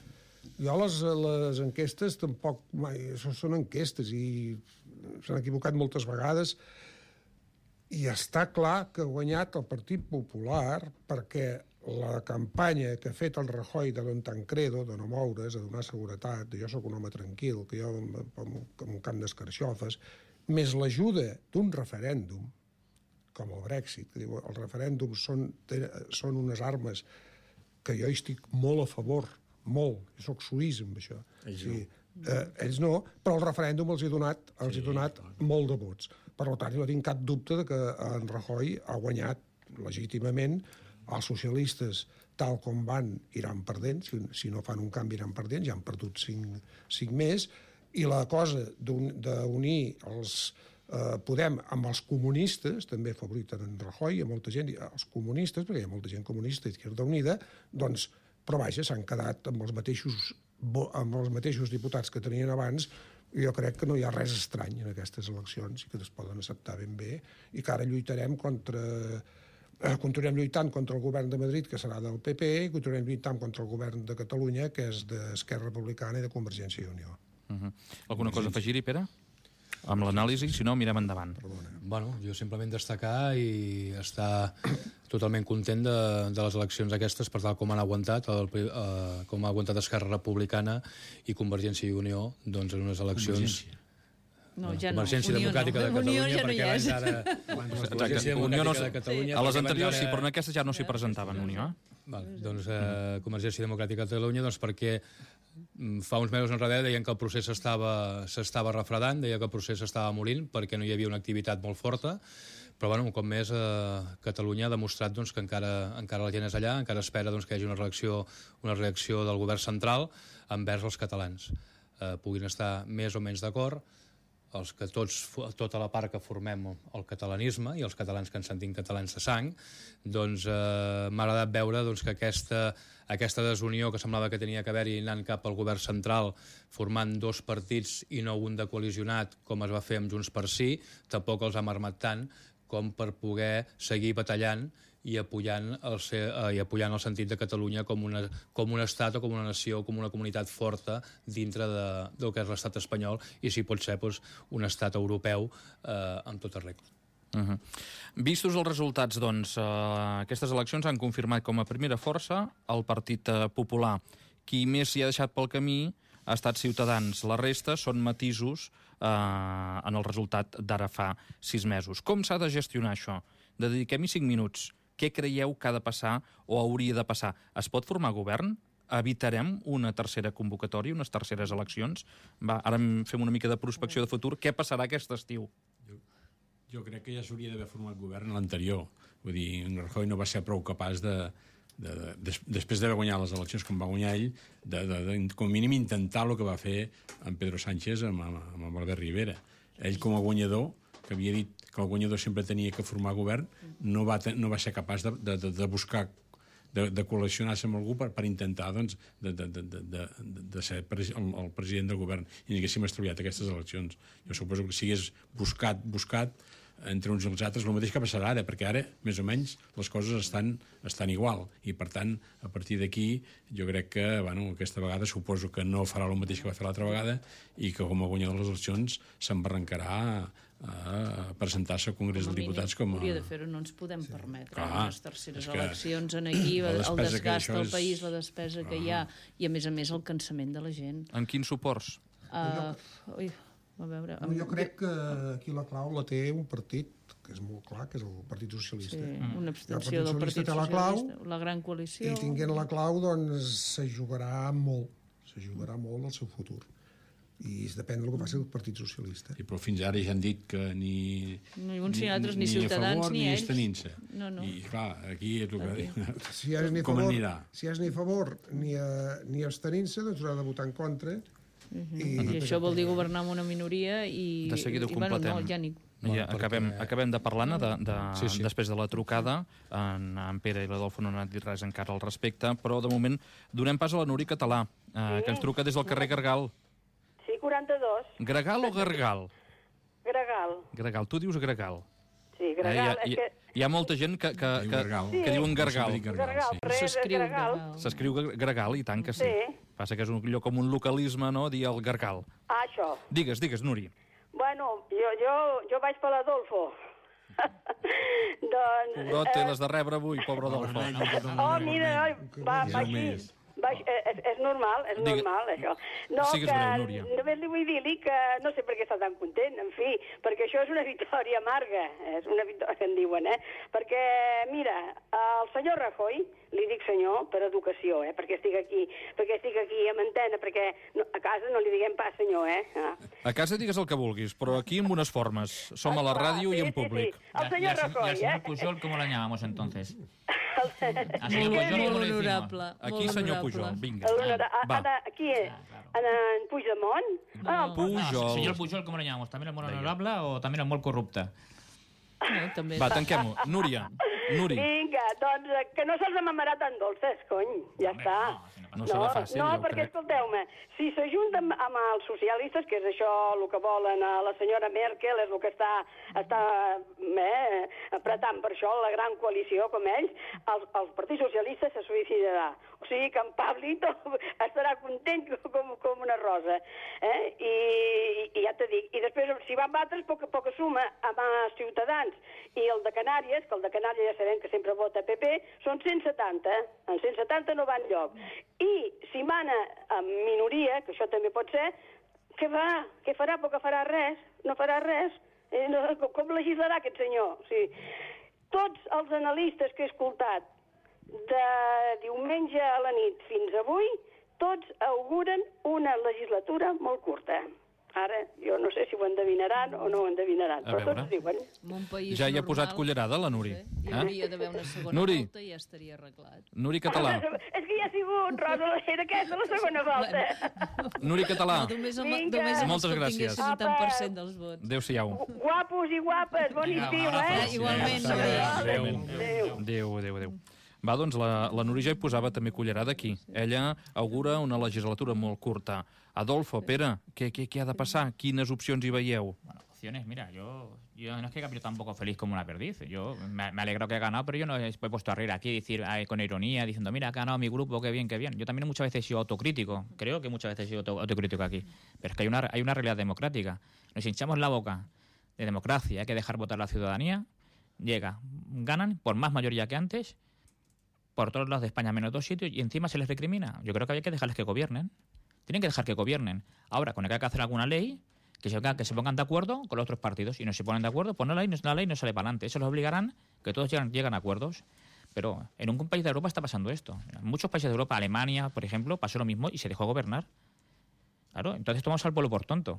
jo les, les enquestes tampoc mai... Això són enquestes i s'han equivocat moltes vegades i està clar que ha guanyat el Partit Popular perquè la campanya que ha fet el Rajoy de Don Tancredo, de no moure's, de donar seguretat, de jo sóc un home tranquil, que jo com un camp d'escarxofes, més l'ajuda d'un referèndum, com el Brexit, que diu, els referèndums són, són unes armes que jo hi estic molt a favor, molt, jo soc suís amb això. Ells sí. no. Eh, ells no, però el referèndum els he donat, els sí, he donat molt de vots. Per tant, no tinc cap dubte de que en Rajoy ha guanyat legítimament. Els socialistes, tal com van, iran perdent, si, si no fan un canvi iran perdent, ja han perdut cinc, cinc més, i la cosa d'unir els eh, Podem amb els comunistes, també favoriten en Rajoy, hi ha molta gent, els comunistes, perquè hi ha molta gent comunista, Izquierda Unida, doncs, però vaja, s'han quedat amb els mateixos amb els mateixos diputats que tenien abans, i jo crec que no hi ha res estrany en aquestes eleccions i que es poden acceptar ben bé i que ara lluitarem contra... Eh, continuarem lluitant contra el govern de Madrid, que serà del P P, i continuarem lluitant contra el govern de Catalunya, que és d'Esquerra Republicana i de Convergència i Unió. Uh -huh. Alguna cosa a afegir-hi, Pere? Amb l'anàlisi, si no, mirem endavant. Bueno, jo simplement destacar i estar totalment content de, de les eleccions aquestes per tal com han aguantat, el, eh, com ha aguantat Esquerra Republicana i Convergència i Unió, doncs en unes eleccions... No, ja no. Convergència Unió Democràtica no. de Catalunya, Unió ja no perquè hi abans és. ara... Exacte. Unió no, de Catalunya, a les perquè anteriors abans sí, ara- però en aquestes ja no s'hi presentaven, Unió. Eh? Val, doncs eh, Convergència Democràtica de Catalunya, doncs perquè mm, fa uns mesos enrere deien que el procés s'estava s'estava refredant, deia que el procés s'estava morint perquè no hi havia una activitat molt forta, però bueno, un cop més eh, Catalunya ha demostrat doncs, que encara, encara la gent és allà, encara espera doncs, que hi hagi una reacció, una reacció del govern central envers els catalans. Eh, puguin estar més o menys d'acord, els que tots, tota la part que formem el catalanisme i els catalans que ens sentim catalans de sang, doncs eh, m'ha agradat veure doncs, que aquesta, aquesta desunió que semblava que tenia que haver-hi anant cap al govern central, formant dos partits i no un de coalicionat, com es va fer amb Junts per Sí, tampoc els ha marmat tant com per poder seguir batallant i apoyant el, eh, i apoyant el sentit de Catalunya com, una, com un estat o com una nació, com una comunitat forta dintre de, del que és l'estat espanyol i si pot ser doncs, un estat europeu eh, amb tota regla. Uh -huh. Vistos els resultats, doncs, eh, aquestes eleccions han confirmat com a primera força el Partit Popular. Qui més s'hi ha deixat pel camí ha estat Ciutadans. La resta són matisos eh, en el resultat d'ara fa sis mesos. Com s'ha de gestionar això? Dediquem-hi cinc minuts. Què creieu que ha de passar o hauria de passar? Es pot formar govern? Evitarem una tercera convocatòria, unes terceres eleccions? Va, ara fem una mica de prospecció de futur. Què passarà aquest estiu? Jo, jo crec que ja s'hauria d'haver format govern l'anterior. Vull dir, en Rajoy no va ser prou capaç de, de, de, des, després d'haver guanyat les eleccions com va guanyar ell, de, de, de, com a mínim intentar el que va fer en Pedro Sánchez amb, amb, amb Albert Rivera. Ell com a guanyador, que havia dit que el guanyador sempre tenia que formar govern, no va, no va ser capaç de, de, de buscar, de, de col·leccionar-se amb algú per, per intentar doncs, de, de, de, de, de ser el, el president del govern i ni haguéssim estalviat aquestes eleccions. Jo suposo que si hagués buscat, buscat entre uns i els altres, el mateix que passarà ara, perquè ara, més o menys, les coses estan, estan igual. I, per tant, a partir d'aquí, jo crec que, bueno, aquesta vegada suposo que no farà el mateix que va fer l'altra vegada i que, com a guanyador de les eleccions, s'embarrancarà a presentar-se al Congrés dels Diputats com a... Hauria de fer-ho, no ens podem permetre Clar, unes terceres eleccions en aquí, el desgast del país, la despesa que hi ha, i a més a més el cansament de la gent. En quins suports? Uh, ui, a veure... No, jo crec que aquí la clau la té un partit que és molt clar, que és el Partit Socialista. Sí, una I el abstenció del Partit té la clau, Socialista, la gran coalició... I tinguent la clau, doncs, s'ajugarà molt, s'ajugarà molt al seu futur. I depèn del que faci el Partit Socialista. Sí, però fins ara ja han dit que ni... Ni uns ni altres, ni, ni Ciutadans, favor, ni, ni ells. estenint-se. No, no. I, clar, aquí és el que... Si és ni Com favor, anirà? si és ni a favor ni, a, ni abstenint-se, doncs haurà de votar en contra. Uh -huh. I, I això vol dir governar amb una minoria i... De seguida ho i, completem. Bueno, no, ja ni... Ja, acabem, acabem de parlar-ne de, de, sí, sí. després de la trucada. En, en Pere i l'Adolfo no han dit res encara al respecte, però de moment donem pas a la Núria Català, eh, que ens truca des del carrer Gargal. Sí, quaranta-dos. Gregal o Gargal? Gregal. Gregal. Tu dius Gregal. Sí, Gregal. Eh, hi, ha, hi, que... hi ha molta gent que, que, Diu que, Gargal. que diuen Gargal. Gregal, sí. res, S'escriu Gregal. Gregal. S'escriu Gregal, i tant que sí. Sí. Passa que és un, allò com un localisme, no?, dir el Gargal. Ah, això. Digues, digues, Núria. Bueno, jo, jo, jo vaig per l'Adolfo. doncs... Pobrot, té les de rebre avui, pobre Adolfo. Oh, mira, oi, va, va així. Va, és, és normal, és Digue... normal, això. No, Sigues que breu, Núria. només li vull dir-li que no sé per què està tan content, en fi, perquè això és una victòria amarga, és una victòria, en diuen, eh? Perquè, mira, el senyor Rajoy, li dic senyor per educació, eh? Perquè estic aquí, perquè estic aquí amb antena, perquè no, a casa no li diguem pas senyor, eh? Ah. A casa digues el que vulguis, però aquí amb unes formes. Som a la ràdio i en públic. Sí, sí. El senyor Rajoy, ¿Y al señor eh? Pujol cómo la llamamos entonces? Molt, Al señor Pujol, ¿cómo molt le decimos? honorable. Aquí, molt senyor honorable. Pujol, vinga. Va. Va. Aquí és? En, en Puigdemont? No. Ah, Pujol. No, señor Pujol, ¿cómo le llamamos? ¿También el molt honorable o también el molt corrupte? No, també. Va, tanquem-ho. Núria, Nuri. Vinga, doncs eh, que no se'ls amamarà tan dolces, cony, ja Hombre, està. no, si no No serà fàcil, no, jo perquè, crec. escolteu-me, si s'ajunten amb els socialistes, que és això el que volen a la senyora Merkel, és el que està, està eh, apretant per això la gran coalició, com ells, el, el Partit Socialista se suïcidarà. O sigui que en Pablito estarà content com, com una rosa. Eh? I, I ja te dic, i després si van batre poca, poca suma amb els Ciutadans i el de Canàries, que el de Canàries ja sabem que sempre vota P P, són cent setanta, en cent setanta no va enlloc. I si mana en minoria, que això també pot ser, què farà? Què farà? Perquè farà res, no farà res. Eh, no, com, com legislarà aquest senyor? O sigui, tots els analistes que he escoltat de diumenge a la nit fins avui, tots auguren una legislatura molt curta. Ara, jo no sé si ho endevinaran o no ho endevinaran, A però veure. tots diuen. En un país Ja hi ha normal, posat cullerada, la Nuri. no sé, hi Eh? hauria d'haver una segona Nuri. volta i ja estaria arreglat. Nuri Català. És que ja ha sigut, Rosa, era aquesta la segona volta. Nuri Català. No, només amb, Vinga. només amb els Moltes que gràcies. obtinguessin un tant per cent dels vots. Adéu-siau. Guapos i guapes, bon estiu, Eh, eh? igualment, Adéu. Nuri. Adéu. Adéu, adéu, adéu. Va, doncs la, la Nuri ja hi posava també cullerada aquí. Ella augura una legislatura molt curta. Adolfo, Pere, què, què, què ha de passar? Quines opcions hi veieu? Bueno, opciones, mira, yo, yo no es que yo tampoco feliz como una perdiz. Yo me, me alegro que he ganado, pero yo no he puesto a reír aquí, decir ay, con ironía, diciendo, mira, ha ganado mi grupo, qué bien, qué bien. Yo también muchas veces he sido autocrítico, creo que muchas veces he sido auto, autocrítico aquí. Pero es que hay una, hay una realidad democrática. Nos hinchamos la boca de democracia, hay que dejar votar a la ciudadanía. Llega, ganan por más mayoría que antes, por todos lados de España menos dos sitios, y encima se les recrimina. Yo creo que hay que dejarles que gobiernen. Tienen que dejar que gobiernen. Ahora, con el que hay que hacer alguna ley, que se, que se pongan de acuerdo con los otros partidos. Y no se ponen de acuerdo, pues no, la ley, la ley no sale para adelante. Eso los obligarán, que todos llegan, llegan a acuerdos. Pero en un país de Europa está pasando esto. En muchos países de Europa, Alemania, por ejemplo, pasó lo mismo y se dejó gobernar. Claro, entonces tomamos al pueblo por tonto.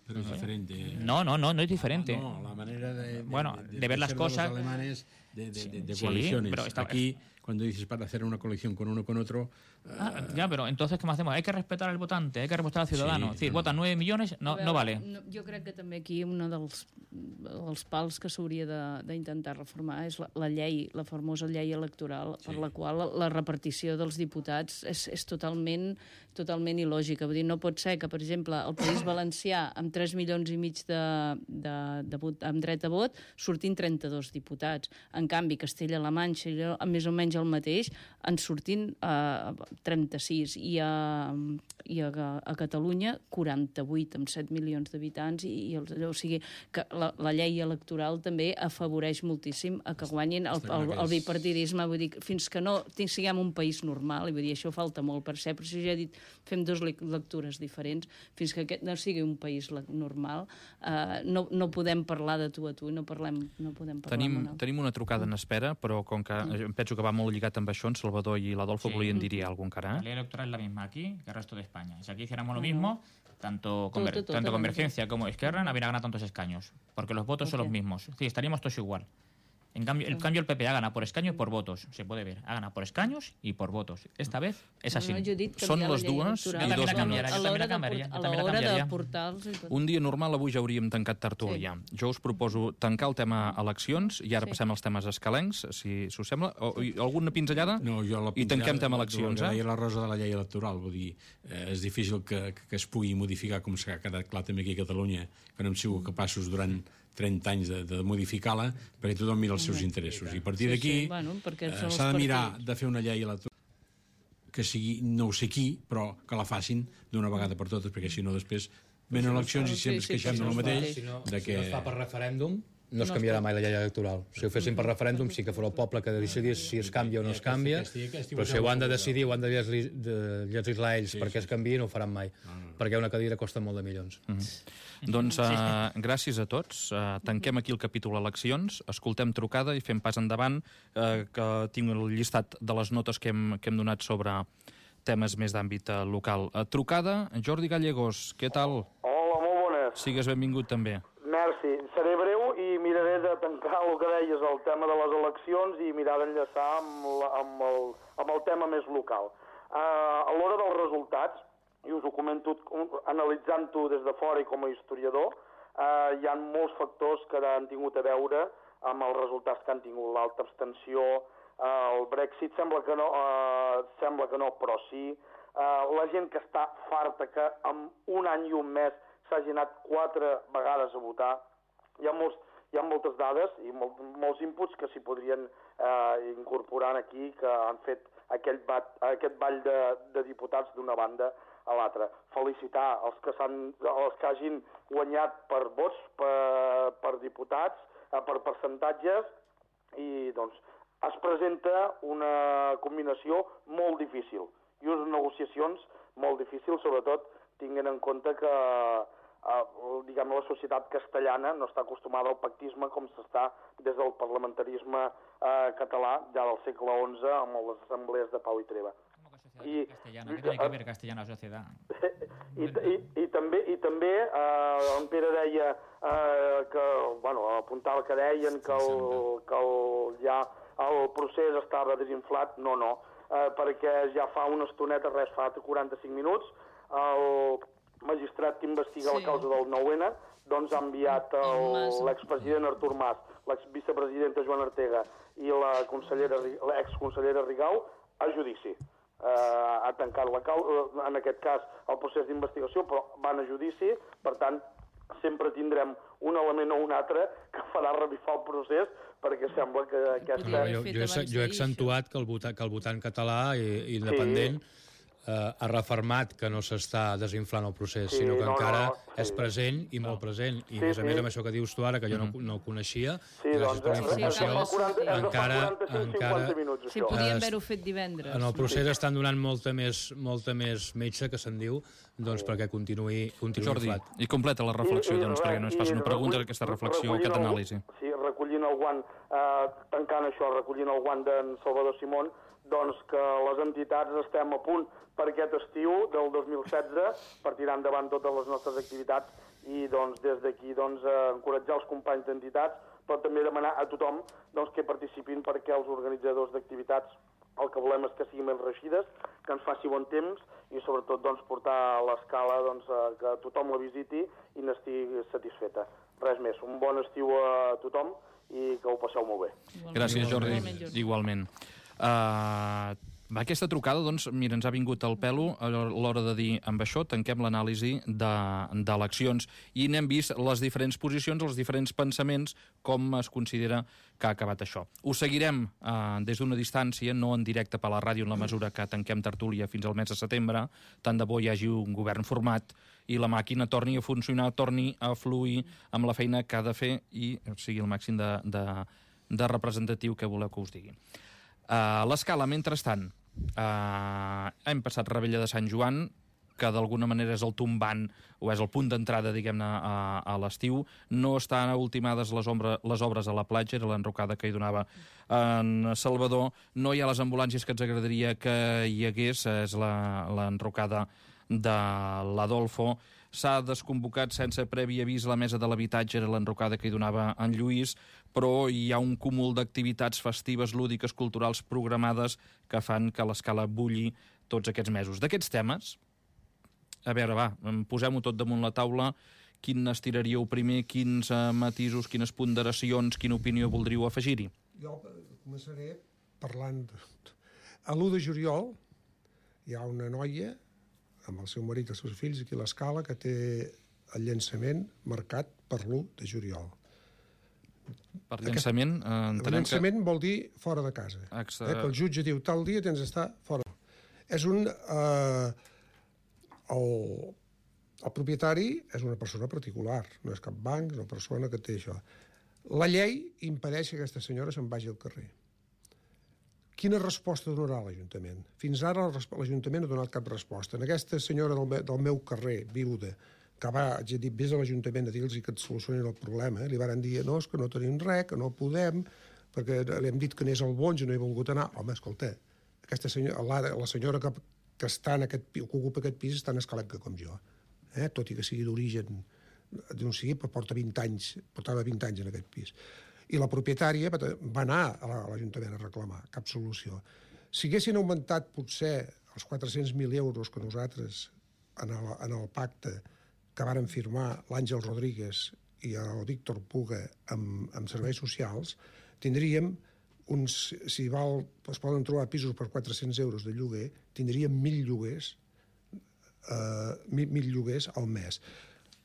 Pero es diferente. No, no, no, no es diferente. No, la manera de, de, bueno, de, de, de ver las ser cosas... de los alemanes, de, de, de, de Sí, coaliciones. pero está- Aquí, cuando dices para hacer una coalición con uno con otro... Ah, ya, pero entonces, ¿qué más hacemos? Hay que respetar al votante, hay que respetar al ciudadano. Sí, es decir, no. votan nueve millones, no, A veure, no vale. No, jo crec que també aquí un dels, dels pals que s'hauria de- d'intentar reformar és la, la llei, la famosa llei electoral, sí. per la qual la repartició dels diputats és, és totalment, totalment il·lògica. Vull dir, no pot ser que, per exemple, el País Valencià, amb tres milions i mig de, de, de vot, amb dret a vot, sortin trenta-dos diputats. En canvi, Castella-La Manxa, allò, més o menys el mateix, en sortin eh, trenta-sis, i a, i a, a Catalunya quaranta-vuit, amb set milions d'habitants, i, i els, o sigui, que la, la llei electoral també afavoreix moltíssim a que guanyin el, el, el bipartidisme. Vull dir, fins que no siguem un país normal, i vull dir, això falta molt per ser, però si ja he dit, fem dues lectures diferents, fins que aquest no sigui un país normal, eh, no, no podem parlar de tu a tu, i no, parlem, no podem parlar Tenim, amb el... tenim una trucada en espera, però com que em penso que va molt lligat amb això, en Salvador i l'Adolfo Sí. volien dir-hi alguna cosa encara. La Eh? ley electoral es la misma aquí que el resto de España. Si aquí hiciéramos lo mismo, tanto, Todo, Conver- todo, tanto todo, Convergencia como Esquerra no habrían ganado tantos escaños, porque los votos son Ok. los mismos. Sí, estaríamos todos igual. En cambio, en cambio, el P P ha ganado por escaños y por votos. Se puede ver. Ha ganado por escaños y por votos. Esta vez es así. No, jo he dit Són canviar la les llei dues electoral. i Jo dos també la minuts. canviaré, jo A també l'hora la de canviaria, port- jo a també la l'hora de canviaria. portar-los i tot. Un dia normal, avui ja hauríem tancat tertúlia. Sí. Jo us proposo tancar el tema eleccions i ara Sí. passem als temes escalencs, si, si us sembla. O, i alguna pinzellada? No, jo la I tanquem tema la- eleccions, el que eh? deia la Rosa de la llei electoral, vull dir, eh, és difícil que, que, que es pugui modificar, com s'ha quedat clar també aquí a Catalunya, que no hem sigut capaços durant trenta anys de, de modificar-la, perquè tothom mira els seus interessos. I a partir Sí, d'aquí sí, bueno, perquè eh, són els s'ha de mirar partits. de fer una llei electoral que sigui, no ho sé qui, però que la facin d'una vegada per totes, perquè si no després venen eleccions i sempre Sí, ens sí, queixem sí, del sí, mateix, Si no, de si que... no es fa per referèndum, no es No es canviarà pot. mai la llei electoral. Si ho fessin per referèndum, sí que fos el poble que decidís si es canvia o no es canvia, però si ho han de decidir, ho han de llegir- de legislar ells perquè es canviï, no ho faran mai, perquè una cadira costa molt de milions. Doncs uh, gràcies a tots. Uh, tanquem aquí el capítol eleccions, escoltem trucada i fem pas endavant, uh, que tinc el llistat de les notes que hem, que hem donat sobre temes més d'àmbit uh, local. Uh, trucada, Jordi Gallegos, què tal? Hola, molt bones. Sigues benvingut també. Merci. Seré breu i miraré de tancar el que deies, el tema de les eleccions, i mirar d'enllaçar amb, la, amb, el, amb el tema més local. Uh, a l'hora dels resultats, i us ho comento analitzant-ho des de fora i com a historiador, uh, hi ha molts factors que han tingut a veure amb els resultats que han tingut. L'alta abstenció, uh, el Brexit sembla que no, uh, sembla que no, però sí. Uh, la gent que està farta, que en un any i un mes s'hagi anat quatre vegades a votar. Hi ha, molts, hi ha moltes dades i molt, molts inputs que s'hi podrien eh, incorporar aquí, que han fet aquell bat, aquest ball de, de diputats d'una banda a l'altra. Felicitar els que, els que hagin guanyat per vots, per, per diputats, eh, per percentatges, i doncs es presenta una combinació molt difícil i unes negociacions molt difícils, sobretot tinguent en compte que Uh, diguem, la societat castellana no està acostumada al pactisme com s'està des del parlamentarisme uh, català ja del segle onze amb les assemblees de Pau i Treva. ¿Cómo que I, Castellana, què té que veure Castellana Societat? I, i, i també, i també eh, en Pere deia eh, que, bueno, apuntava que deien que, el, que el, ja el procés estava desinflat. No, no, eh, perquè ja fa una estoneta, res, fa quaranta-cinc minuts, el magistrat que investiga sí. la causa del nou ena doncs ha enviat l'expresident Artur Mas, l'exvicepresidenta Joana Ortega i la l'exconsellera Rigau a judici. Uh, ha tancat la causa, en aquest cas el procés d'investigació, però van a judici, per tant sempre tindrem un element o un altre que farà revifar el procés, perquè sembla que aquesta... No, jo, jo, he, jo he accentuat que el votant, que el votant català i, i independent sí. eh, ha refermat que no s'està desinflant el procés, sí, sinó que no, encara no, no, sí. és present i molt present. I sí, a més a més, amb això que dius tu ara, que jo no, no ho coneixia, sí, gràcies per la informació, sí, encara... encara minuts, sí, podíem haver-ho fet divendres. En el procés estan donant molta més, molta més metge, que se'n diu, doncs perquè continuï, continuï Jordi, inflat. I completa la reflexió, I, i, doncs, perquè no es faci una pregunta d'aquesta reflexió, aquesta anàlisi. Sí, recollint el guant, eh, tancant això, recollint el guant d'en Salvador Simón, doncs que les entitats estem a punt per aquest estiu del dos mil setze per tirar endavant totes les nostres activitats i doncs des d'aquí doncs, eh, encoratjar els companys d'entitats, però també demanar a tothom doncs, que participin, perquè els organitzadors d'activitats el que volem és que siguin ben reixides, que ens faci bon temps i sobretot doncs, portar a l'escala doncs, que tothom la visiti i n'estigui satisfeta. Res més, un bon estiu a tothom i que ho passeu molt bé. Igualment. Gràcies, Jordi. Igualment. Igualment. Uh, aquesta trucada, doncs, mira, ens ha vingut al pelo a l'hora de dir, amb això tanquem l'anàlisi d'eleccions i n'hem vist les diferents posicions, els diferents pensaments, com es considera que ha acabat això. Ho seguirem uh, des d'una distància, no en directe per la ràdio, en la mesura que tanquem tertúlia fins al mes de setembre, tant de bo hi hagi un govern format i la màquina torni a funcionar, torni a fluir amb la feina que ha de fer i sigui el màxim de, de, de representatiu que voleu que us digui. Uh, l'escala, mentrestant, uh, hem passat Rebella de Sant Joan, que d'alguna manera és el tombant o és el punt d'entrada, diguem-ne, a, a l'estiu. No estan ultimades les, ombra, les obres a la platja, era l'enrocada que hi donava en Salvador. No hi ha les ambulàncies que ens agradaria que hi hagués, és l'enrocada de l'Adolfo. S'ha desconvocat sense previ avís la mesa de l'habitatge, era l'enrocada que hi donava en Lluís, però hi ha un cúmul d'activitats festives, lúdiques, culturals programades que fan que l'escala bulli tots aquests mesos. D'aquests temes, a veure, va, posem-ho tot damunt la taula. Quin estiraríeu primer, quins uh, matisos, quines ponderacions, quina opinió voldríeu afegir-hi? Jo començaré parlant... A l'u de juliol hi ha una noia amb el seu marit i els seus fills aquí a l'escala que té el llançament marcat per l'u de juliol. Per llançament? Eh, el llançament que... vol dir fora de casa. Exa... Eh, que el jutge diu tal dia tens d'estar fora. És un... Eh, el, el propietari és una persona particular, no és cap banc, és una persona que té això. La llei impedeix que aquesta senyora se'n vagi al carrer. Quina resposta donarà l'Ajuntament? Fins ara l'Ajuntament no ha donat cap resposta. En aquesta senyora del, me, del meu carrer, viuda, que va, ja dit, vés a l'Ajuntament a dir-los que et solucionin el problema, li van dir, no, és que no tenim res, que no podem, perquè li hem dit que anés al Bonge, no hi ha volgut anar. Home, escolta, aquesta senyora, la, la senyora que, que està en aquest, que ocupa aquest pis és tan escalenca com jo, eh? Tot i que sigui d'origen, d'on sigui, però porta vint anys, portava vint anys en aquest pis. I la propietària va anar a l'Ajuntament a reclamar, cap solució. Si haguessin augmentat potser els quatre-cents mil euros que nosaltres en el, en el pacte que varen firmar l'Àngel Rodríguez i el Víctor Puga amb, amb serveis socials, tindríem uns, si val, es poden trobar pisos per quatre-cents euros de lloguer, tindríem mil lloguers, eh, mil, mil lloguers al mes.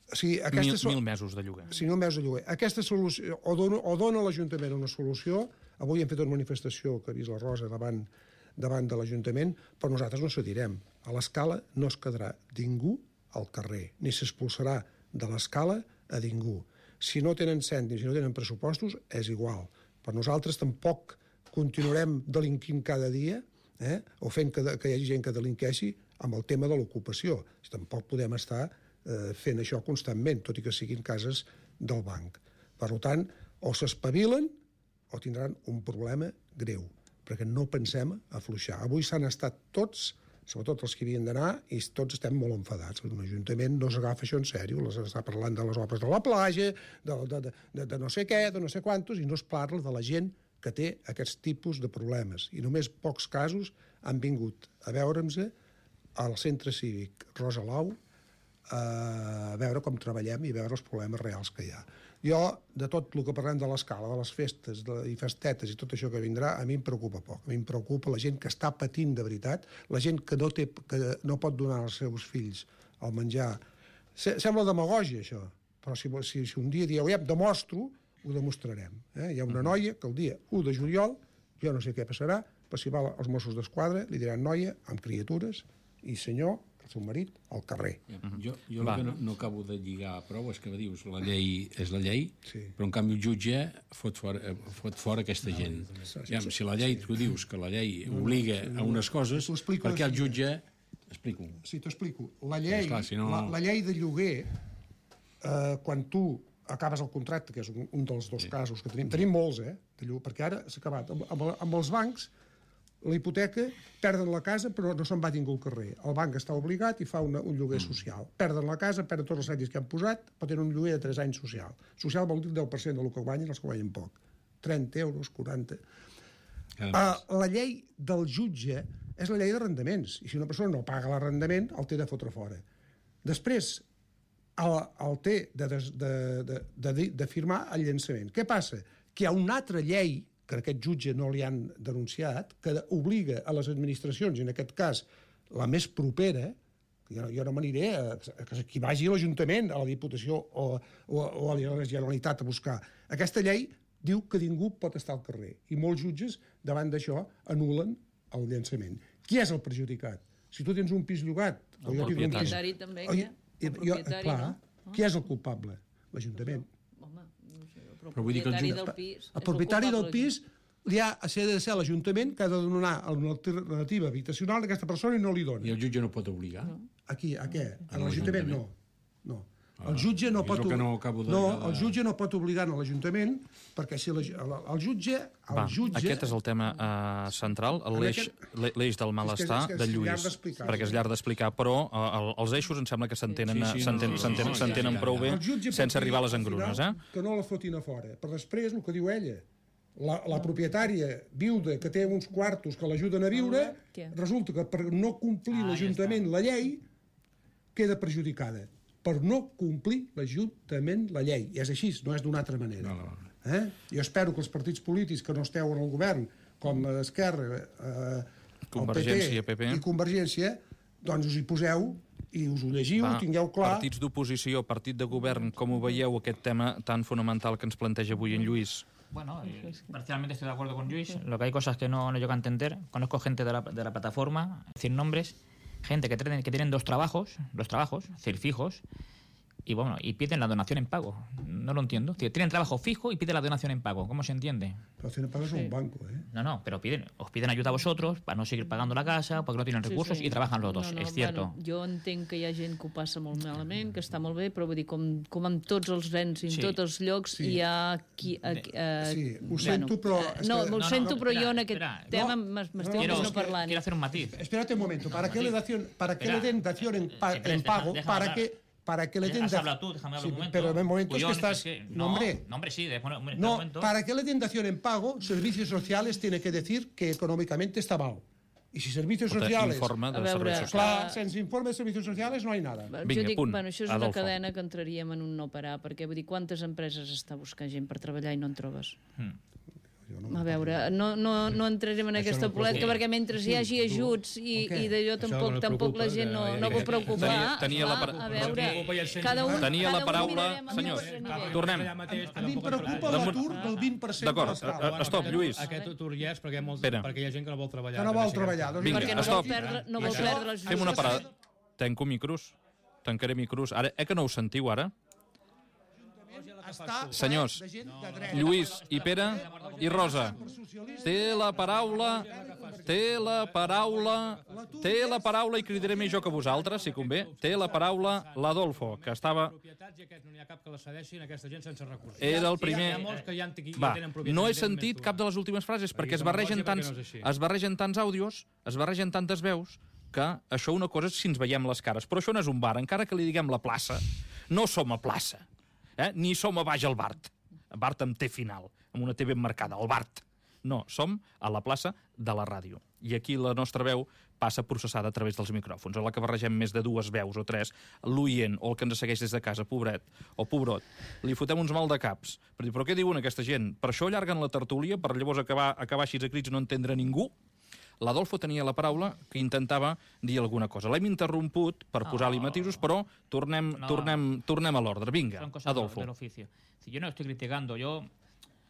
O sigui, mil, so... mil mesos de lloguer. Sí, mil mesos de lloguer. Aquesta solució, o dona, o dona l'Ajuntament una solució, avui hem fet una manifestació que ha vist la Rosa davant, davant de l'Ajuntament, però nosaltres no cedirem. A l'escala no es quedarà ningú al carrer, ni s'expulsarà de l'escala a ningú. Si no tenen cèntims, si no tenen pressupostos, és igual. Per nosaltres tampoc continuarem delinquint cada dia, eh? o fent que, que hi hagi gent que delinqueixi amb el tema de l'ocupació. Tampoc podem estar fent això constantment, tot i que siguin cases del banc. Per tant, o s'espavilen o tindran un problema greu, perquè no pensem afluixar. Avui s'han estat tots sobretot els que havien d'anar, i tots estem molt enfadats. Un ajuntament no s'agafa això en sèrio, les està parlant de les obres de la platja, de, de, de, de no sé què, de no sé quantos, i no es parla de la gent que té aquests tipus de problemes. I només pocs casos han vingut a veure'ns al centre cívic Rosalau a veure com treballem i veure els problemes reals que hi ha. Jo, de tot el que parlem de l'escala, de les festes de, i festetes i tot això que vindrà, a mi em preocupa poc. A mi em preocupa la gent que està patint de veritat, la gent que no, té, que no pot donar als seus fills el menjar. Sembla demagògia, això, però si, si, si un dia dieu, ja, demostro, ho demostrarem. Eh? Hi ha una noia que el dia u de juliol, jo no sé què passarà, però si va als Mossos d'Esquadra, li diran noia amb criatures i senyor, el seu marit, al carrer. Jo, jo el que no, no acabo de lligar prou és que dius la llei és la llei, sí. Però en canvi el jutge fot fora, fot fora aquesta gent. Ja, si la llei, tu dius que la llei obliga a unes coses, per què el jutge... Explico. Sí, t'ho explico. La llei, Esclar, si no... la, la llei de lloguer, eh, quan tu acabes el contracte, que és un, un dels dos sí. casos que tenim, tenim molts, eh, de lloguer, perquè ara s'ha acabat. Amb, amb, amb els bancs, la hipoteca, perden la casa però no se'n va ningú al carrer. El banc està obligat i fa una, un lloguer social. Perden la casa, perden tots els crèdits que han posat, però tenen un lloguer de tres anys social. Social vol dir el deu per cent del que guanyen els que guanyen poc. trenta euros, quaranta... Uh, la llei del jutge és la llei d'arrendaments. I si una persona no paga l'arrendament, el té de fotre fora. Després, el, el té de, de, de, de, de firmar el llançament. Què passa? Que hi ha una altra llei que aquest jutge no li han denunciat, que obliga a les administracions, i en aquest cas la més propera, jo, jo no m'aniré a, a que qui vagi a l'Ajuntament, a la Diputació o, o, o a la Generalitat a buscar. Aquesta llei diu que ningú pot estar al carrer, i molts jutges, davant d'això, anulen el llançament. Qui és el perjudicat? Si tu tens un pis llogat... El jo propietari pis, també, o, el propietari, clar, no? Qui és el culpable? L'Ajuntament. Però vull dir que el propietari del pis... El propietari del pis li ha de ser l'Ajuntament que ha de donar una alternativa habitacional a aquesta persona i no li dona. I el jutge no pot obligar? No. Aquí, a què? A l'Ajuntament no. No. El jutge no pot, no, de... no, el jutge no pot obligar a l'Ajuntament perquè si la, el jutge... El Va, jutge... Aquest és el tema uh, central, l'eix aquest... del malestar és que, és que de Lluís, perquè és llarg d'explicar, però uh, els eixos em sembla que s'entenen sí, sí, no, no, no, no, prou bé sense arribar a les engrunes. Eh? Que no la fotin a fora. Per després, el que diu ella, la, la propietària viuda que té uns quartos que l'ajuden a viure, resulta que per no complir ah, l'Ajuntament ja la llei, queda perjudicada. Per no complir l'Ajuntament la llei. I és així, no és d'una altra manera. No, no. Eh? Jo espero que els partits polítics que no esteu en el govern, com Esquerra, eh, Convergència, el P P, P P i Convergència, doncs us hi poseu i us ho llegiu, Va, ho tingueu clar. Partits d'oposició, partit de govern, com ho veieu, aquest tema tan fonamental que ens planteja avui en Lluís? Bueno, eh, parcialmente estoy de acuerdo con Luis. Lo que hay cosas que no, no llego a entender. Conozco gente de la, de la plataforma, decir nombres, gente que tienen, que tienen dos trabajos, dos trabajos, es decir, fijos, y bueno, y piden la donación en pago. No lo entiendo. Tienen trabajo fijo y piden la donación en pago. ¿Cómo se entiende? La donación en pago es sí. un banco, ¿eh? No, no, pero piden, os piden ayuda a vosotros para no seguir pagando la casa, porque no tienen recursos sí, sí. y trabajan los dos, no, no, és cierto. Bueno, jo entenc que hi ha gent que ho passa molt malament, que està molt bé, però vull dir, com, com amb tots els nens i en sí. tots els llocs sí. hi ha... Qui, a, a, sí, ho sento, però... Uh, no, ho no, sento, no, però espera, jo en aquest espera, tema no, m'estic no, no parlant. Quiero hacer un matiz. Espérate un momento, ¿para qué le den dación en pago? ¿Para qué...? Para que le den has hablado tú, déjame hablar sí, un momento. pero en momentos Cuyón, que estás... Es que, no, hombre. No, hombre, sí. De, hombre, no, momento. Para que le den dación en pago, Servicios Sociales tiene que decir que económicamente está mal. Y si Servicios Porta Sociales... Informe de veure, Servicios Socials. Clar, sense informe de Servicios Sociales no hay nada. Vinga, jo dic, punt. Bueno, això és Adolfo. una cadena que entraríem en un no parar, perquè vull dir, quantes empreses està buscant gent per treballar i no en trobes? Mm. A veure, no, no, no entrarem en això aquesta no polèmica perquè mentre hi hagi ajuts i, okay. i d'allò tampoc, no tampoc la gent no, no vol preocupar. Tenia, tenia la, a veure, cada un, tenia la paraula... cada Senyors, tornem. A mi em preocupa l'atur del vint per cent. D'acord, stop, Lluís. Aquest atur hi és perquè hi ha gent que no vol treballar. Que no vol treballar. Vinga, stop. No vol perdre les... Fem una parada. Tanco micros. Tancaré micros. Ara, eh que no ho sentiu, ara? Senyors, Lluís i Pere i Rosa, té la paraula, té la paraula, té la paraula, i cridaré més jo que vosaltres, si convé, té la paraula l'Adolfo, que estava... Era el primer... Va, no he sentit cap de les últimes frases, perquè es barregen tants, es barregen tants àudios, es barregen tantes veus, que això una cosa és si ens veiem les cares, però això no és un bar, encara que li diguem la plaça, no som a plaça, eh? Ni som a baix al Bart, Bart amb T final, amb una T ben marcada, el Bart. No, som a la plaça de la ràdio. I aquí la nostra veu passa processada a través dels micròfons. A la que barregem més de dues veus o tres, l'oient o el que ens segueix des de casa, pobret o pobrot, li fotem uns mal de caps. Per dir, però què diuen aquesta gent? Per això allarguen la tertúlia, per llavors acabar, acabar així a crits i no entendre ningú? L'Adolfo tenia la paraula que intentava dir alguna cosa. L'hem interromput per posar-li matisos, però tornem, No. tornem, tornem a l'ordre. Vinga, Son cosas Adolfo. del oficio. Si yo no estoy criticando, yo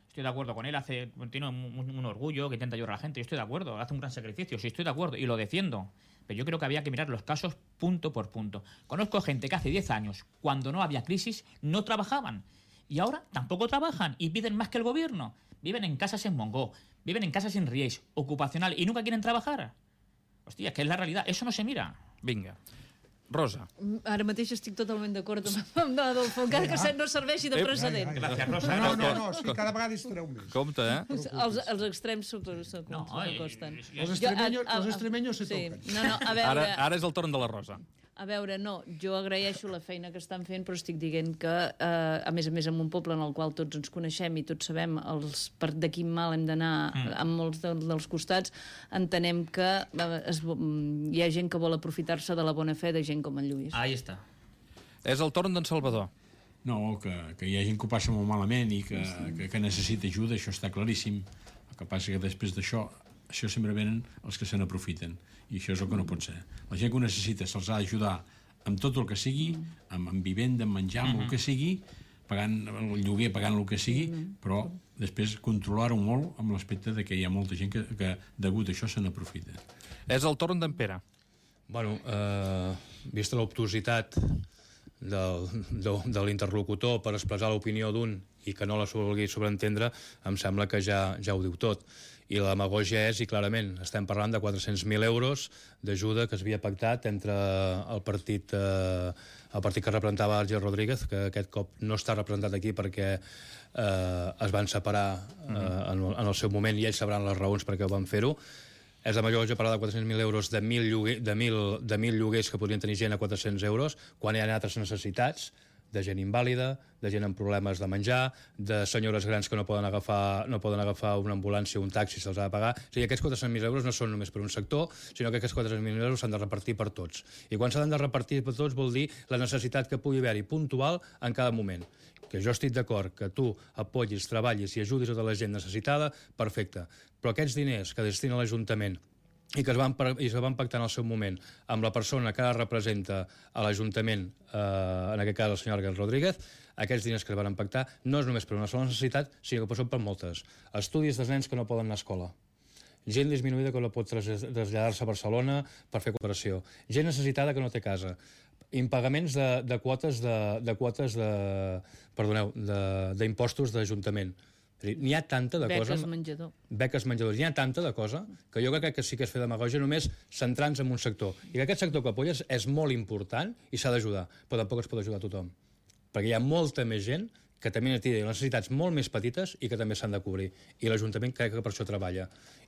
estoy de acuerdo con él, hace, tiene un, un- un orgullo que intenta ayudar a la gente, yo estoy de acuerdo, hace un gran sacrificio, sí estoy de acuerdo y lo defiendo. Pero yo creo que había que mirar los casos punto por punto. Conozco gente que hace diez años, cuando no había crisis, no trabajaban. Y ahora tampoco trabajan y piden más que el gobierno. Viven en casas en Mongó, viven en casas en Rieix, ocupacional, y nunca quieren trabajar. Hostia, que es la realidad, eso no se mira. Vinga. Rosa. Ara mateix estic totalment d'acord amb, amb Adolfo, encara que Ah. no serveixi de precedent. Gràcies, Rosa. No, no, no, no, sí, cada vegada hi estareu més. Compte, eh? Els, els extrems s'acosten. No, s'acosten. Els extremeños, los extremeños se sí. toquen. No, no, a veure, Ara, ara és el torn de la Rosa. a veure, no, jo agraeixo la feina que estan fent, però estic dient que, eh, a més a més, en un poble en el qual tots ens coneixem i tots sabem els, per de quin mal hem d'anar mm. amb molts de, dels costats, entenem que eh, es, hi ha gent que vol aprofitar-se de la bona fe de gent com en Lluís. Ahí está. És el torn d'en Salvador. No, que, que hi ha gent que ho passa molt malament i que, que, que necessita ajuda, això està claríssim. El que passa que després d'això, això sempre venen els que se n'aprofiten. I això és el que no pot ser. La gent que ho necessita se'ls ha d'ajudar amb tot el que sigui, amb, amb vivenda, amb menjar, amb el que sigui, pagant el lloguer, pagant el que sigui, però després controlar-ho molt amb l'aspecte de que hi ha molta gent que, que degut a això se n'aprofita. És el torn d'en Pere. Bueno, eh, vista l'obtuositat del, de, de l'interlocutor per expressar l'opinió d'un i que no la vulgui sobreentendre, em sembla que ja, ja ho diu tot. I la demagògia és, i clarament, estem parlant de quatre-cents mil euros d'ajuda que es havia pactat entre el partit, eh, el partit que representava Àngel Rodríguez, que aquest cop no està representat aquí perquè eh, es van separar eh, en, en el seu moment i ells sabran les raons perquè ho van fer-ho. És la major parlar de quatre-cents mil euros de mil, lloguer, de, mil, de mil lloguers que podrien tenir gent a quatre-cents euros, quan hi ha altres necessitats, de gent invàlida, de gent amb problemes de menjar, de senyores grans que no poden agafar, no poden agafar una ambulància o un taxi, se'ls ha de pagar. O sigui, aquests quatre-cents mil euros no són només per un sector, sinó que aquests quatre-cents mil euros s'han de repartir per tots. I quan s'han de repartir per tots vol dir la necessitat que pugui haver-hi puntual en cada moment. Que jo estic d'acord que tu apoyis, treballis i ajudis a tota la gent necessitada, perfecte. Però aquests diners que destina l'Ajuntament i que es van, i es van pactar en el seu moment amb la persona que ara representa a l'Ajuntament, eh, en aquest cas el senyor Àngel Rodríguez, aquests diners que es van pactar no és només per una sola necessitat, sinó que són per moltes. Estudis dels nens que no poden anar a escola, gent disminuïda que no pot traslladar-se a Barcelona per fer cooperació, gent necessitada que no té casa, impagaments de, de quotes de, de quotes de, perdoneu, d'impostos d'Ajuntament. N'hi ha tanta de Beques cosa... menjador. Beques menjador. N'hi ha tanta de cosa que jo crec que sí que és fer demagògia només centrant-se en un sector. I que aquest sector que apoyes és molt important i s'ha d'ajudar, però tampoc es pot ajudar a tothom. Perquè hi ha molta més gent que també té necessitats molt més petites i que també s'han de cobrir. I l'Ajuntament crec que per això treballa.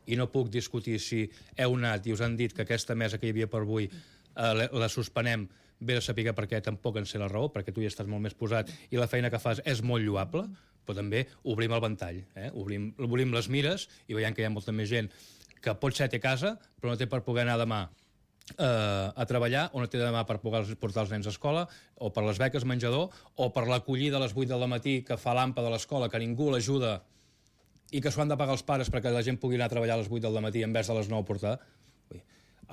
I no puc discutir si heu anat i us han dit que aquesta mesa que hi havia per avui eh, la suspenem, ve de saber per què tampoc en sé la raó, perquè tu hi estàs molt més posat i la feina que fas és molt lloable, però també obrim el ventall, eh? obrim, obrim les mires i veiem que hi ha molta més gent que potser té casa, però no té per poder anar demà eh, a treballar, o no té demà per poder portar els nens a escola, o per les beques menjador, o per l'acollida a les vuit del matí que fa l'ampa de l'escola, que ningú l'ajuda i que s'ho han de pagar els pares perquè la gent pugui anar a treballar a les vuit del matí en vez de les nou a portar. Ui,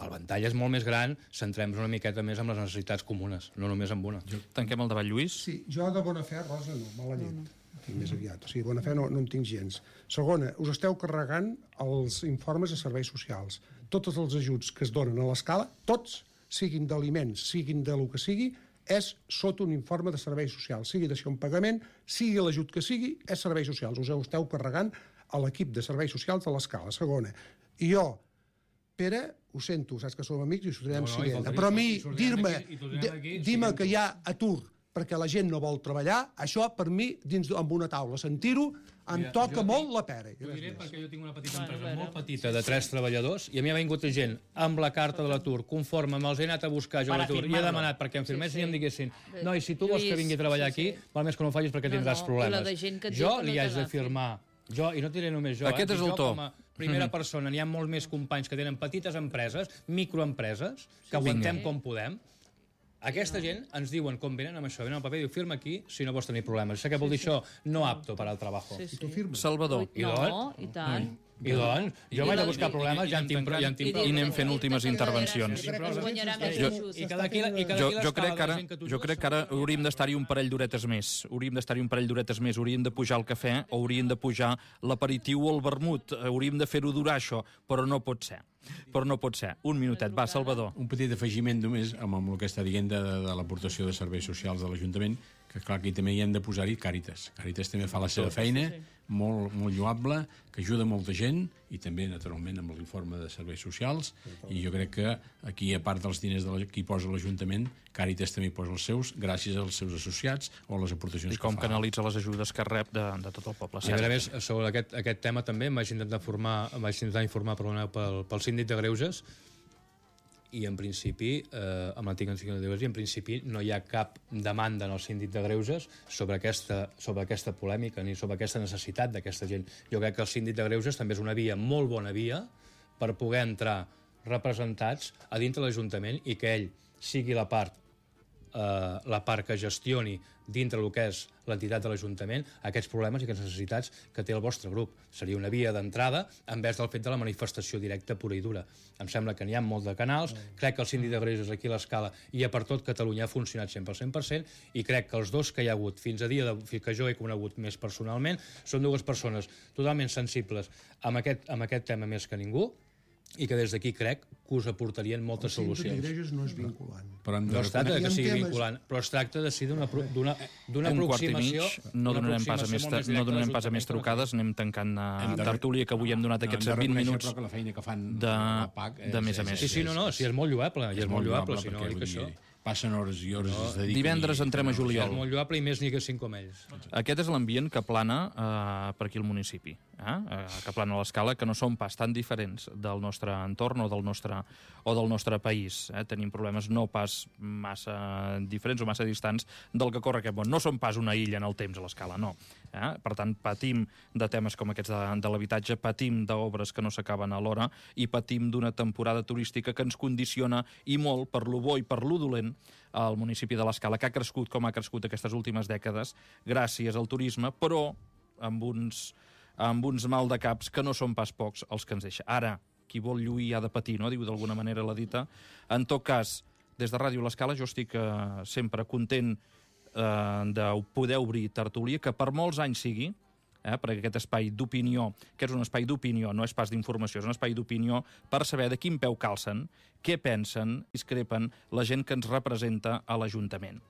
el ventall és molt més gran, centrem-nos una miqueta més en les necessitats comunes, no només en una. Tanquem el debat, Lluís. Sí, jo de bona fe, Rosa, no, mala llet. No, no. Tinc més aviat. O sigui, bona fe no, no en tinc gens. Segona, us esteu carregant els informes de serveis socials. Tots els ajuts que es donen a l'escala, tots, siguin d'aliments, siguin de lo que sigui, és sota un informe de serveis socials. Sigui d'això un pagament, sigui l'ajut que sigui, és serveis socials. Us esteu carregant a l'equip de serveis socials de l'escala. Segona, i jo, Pere, ho sento, saps que som amics i ho sortirem no, no, siguent, però a mi dir-me dir-me que hi ha atur perquè la gent no vol treballar, això per mi, dins amb una taula, sentir-ho, em Mira, toca jo molt dic- la pera. Ho diré perquè jo tinc una petita empresa molt petita de tres treballadors i a mi ha vingut gent amb la carta de l'atur, conforme me'ls he anat a buscar jo a l'atur i he demanat perquè em firmessin i em diguessin no, i si tu vols que vingui a treballar aquí, val més que no ho facis perquè tindràs problemes. Jo li haig de firmar, jo, i no diré només jo, Aquest és el to. com a primera persona, n'hi ha molts més companys que tenen petites empreses, microempreses, que aguantem com podem. Aquesta gent ens diuen com venen amb això, venen al paper i diu firma aquí si no vols tenir problemes. Saps què vol dir això? No apto per al trabajo. I tu firmes. Salvador. I No, doncs? i tant. I doncs? Jo m'he de buscar problemes, ja en tinc prou. I anem fent últimes intervencions. Es guanyarà més Jo- ajuts. I cada aquí, i cada Jo, aquí jo, crec que l'escala de ara, gent que tu jo jugues crec que ara hauríem d'estar-hi un parell d'horetes més. Hauríem d'estar-hi un parell d'horetes més. Hauríem de pujar el cafè o hauríem de pujar l'aperitiu o el vermut. Hauríem de fer-ho durar, això, però no pot ser. Però no pot ser. Un minutet. Va, Salvador. Un petit afegiment només amb, amb el que està dient de, de, de l'aportació de serveis socials de l'Ajuntament, que clar, aquí també hi hem de posar-hi Càritas. Càritas també fa la seva feina, molt, molt lloable, que ajuda molta gent, i també, naturalment, amb l'informe de serveis socials, i jo crec que aquí, a part dels diners de la, que hi posa l'Ajuntament, Càritas també hi posa els seus, gràcies als seus associats o a les aportacions I com que fa. canalitza les ajudes que rep de, de tot el poble. I a més, sobre aquest, aquest tema també em vaig intentar formar, em vaig intentar informar perdoneu, pel, pel síndic de Greuges i en principi, eh, amb l'antic síndic de Greuges, i en principi no hi ha cap demanda en el síndic de Greuges sobre aquesta, sobre aquesta polèmica ni sobre aquesta necessitat d'aquesta gent. Jo crec que el síndic de Greuges també és una via, molt bona via, per poder entrar representats a dintre de l'Ajuntament i que ell sigui la part eh, la part que gestioni dintre el que és l'entitat de l'Ajuntament aquests problemes i aquestes necessitats que té el vostre grup. Seria una via d'entrada en vez del fet de la manifestació directa pura i dura. Em sembla que n'hi ha molts de canals, crec que el síndic de Greuges aquí a l'Escala i a per tot Catalunya ha funcionat sempre al cent per cent i crec que els dos que hi ha hagut fins a dia de, que jo he conegut més personalment són dues persones totalment sensibles amb aquest, amb aquest tema més que ningú i que des d'aquí crec que us aportarien moltes El síndic de solucions. Greuges no és vinculant. Però hem de No es tracta de que Hi ha sigui temes- vinculant, però es tracta de ser d'una d'una d'una Un quart i mig, aproximació... no d'una donarem pas a aproximació més, molt més no directa donarem a pas a més l'Ajuntament que no trucades, anem tancant Hem a de- tertúlia que avui hem donat No, aquests hem de vint reconèixer, minuts però que la feina que fan de, la P A C és, de més a és- més. Sí, sí, no, no, sí, és molt lloable, i és molt lloable, si no, perquè, dic vull això. dir, passen hores i hores, es dediquen... Divendres i- entrem a És juliol. molt lloable i més n'hi haguessin com ells. Aquest és l'ambient que plana eh, per aquí al municipi, eh? Eh, que plana a l'Escala, que no són pas tan diferents del nostre entorn o del nostre, o del nostre país. Eh? Tenim problemes no pas massa diferents o massa distants del que corre aquest món. No som pas una illa en el temps a l'Escala, no. Eh? Per tant, patim de temes com aquests de, de l'habitatge, patim d'obres que no s'acaben a l'hora i patim d'una temporada turística que ens condiciona i molt per lo bo i per lo dolent al municipi de l'Escala, que ha crescut com ha crescut aquestes últimes dècades gràcies al turisme, però amb uns, amb uns mal de caps que no són pas pocs els que ens deixa. Ara, qui vol lluir ha de patir, no? Diu d'alguna manera la dita. En tot cas, des de Ràdio l'Escala jo estic eh, sempre content eh, de poder obrir tertúlia, que per molts anys sigui, eh, perquè aquest espai d'opinió, que és un espai d'opinió, no és pas d'informació, és un espai d'opinió per saber de quin peu calcen, què pensen, discrepen la gent que ens representa a l'Ajuntament.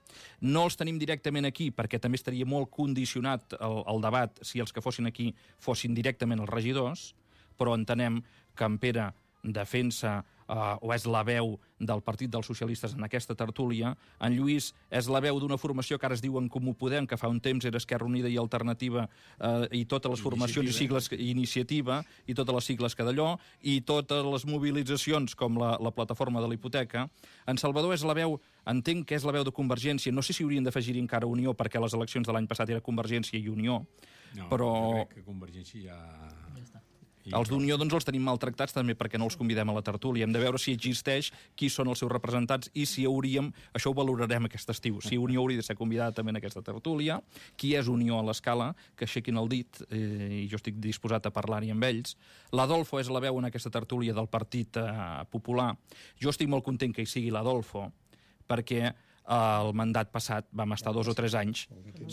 No els tenim directament aquí, perquè també estaria molt condicionat el, el debat si els que fossin aquí fossin directament els regidors, però entenem que en Pere defensa uh, o és la veu del Partit dels Socialistes en aquesta tertúlia, en Lluís és la veu d'una formació que ara es diuen Comú Podem, que fa un temps era Esquerra Unida i Alternativa, uh, i totes les formacions i sigles, Iniciativa, i totes les sigles que d'allò, i totes les mobilitzacions com la, la plataforma de la hipoteca. En Salvador és la veu, entenc que és la veu de Convergència, no sé si haurien d'afegir encara Unió, perquè les eleccions de l'any passat era Convergència i Unió, No, però... jo crec que Convergència ja... Els d'Unió doncs, els tenim maltractats també perquè no els convidem a la tertúlia. Hem de veure si existeix, qui són els seus representats i si hauríem, això ho valorarem aquest estiu, si Unió hauria de ser convidada també en aquesta tertúlia, qui és Unió a l'Escala, que aixequin el dit, eh, i jo estic disposat a parlar-hi amb ells. L'Adolfo és la veu en aquesta tertúlia del Partit eh, Popular. Jo estic molt content que hi sigui l'Adolfo, perquè el mandat passat vam estar dos o tres anys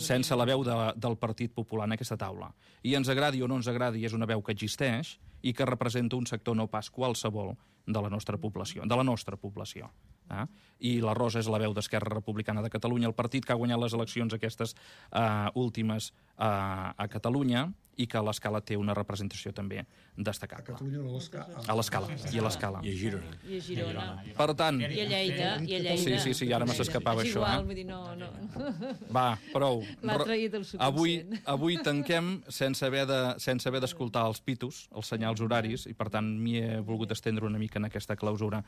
sense la veu de, del Partit Popular en aquesta taula. I ens agradi o no ens agradi, és una veu que existeix i que representa un sector no pas qualsevol de la nostra població. De la nostra població. Eh? I la Rosa és la veu d'Esquerra Republicana de Catalunya, el partit que ha guanyat les eleccions aquestes uh, últimes uh, a Catalunya i que a l'Escala té una representació també destacable. A Catalunya o a l'Escala? A l'Escala, i a l'Escala. I a Girona. I a Girona. Per tant... I a Lleida. I a Lleida. Sí, sí, sí, ara me s'escapava és això. igual, Eh? vull dir, no, no. Va, prou. L'ha traït el subconscient. Avui, avui tanquem sense haver de, sense haver d'escoltar els pitos, els senyals horaris, i per tant m'hi he volgut estendre una mica en aquesta clausura.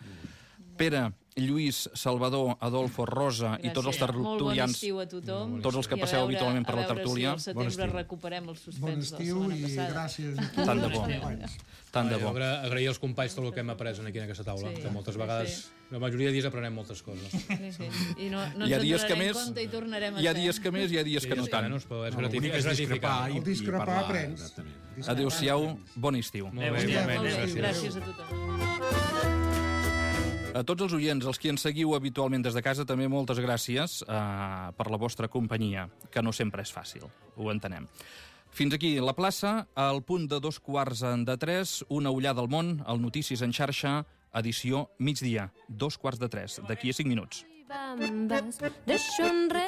Pere, Lluís, Salvador, Adolfo, Rosa Gràcies. i tots els Molt bon tertulians, estiu a tothom. tots els que I a passeu veure- habitualment per a la veure tertúlia. si al setembre recuperem el suspens Bon de la estiu setmana i passada. gràcies a tu. Tant de bo. companys. Tant de bo. Agra agrair als companys tot el que hem après aquí en aquesta taula, Sí. que moltes vegades, Sí. la majoria de dies aprenem moltes coses. Sí, sí. I no, no Hi ha ens dies en que donarem més, compte i tornarem a hi ha ser. dies que més i hi ha dies que no Sí, tant. menys, però és No, gratific- l'únic és és discrepar gratificant. i, El discrepar i parlar. aprens. Exactament. Adéu-siau, bon estiu. Molt bé, Molt igualment, bé, gràcies. gràcies a tothom. A tots els oients, els qui ens seguiu habitualment des de casa, també moltes gràcies eh, per la vostra companyia, que no sempre és fàcil, ho entenem. Fins aquí la plaça, al punt de dos quarts de tres, una ullada al món, al Notícies en xarxa, edició migdia, dos quarts de tres, d'aquí a cinc minuts. Bambes, deixo enrere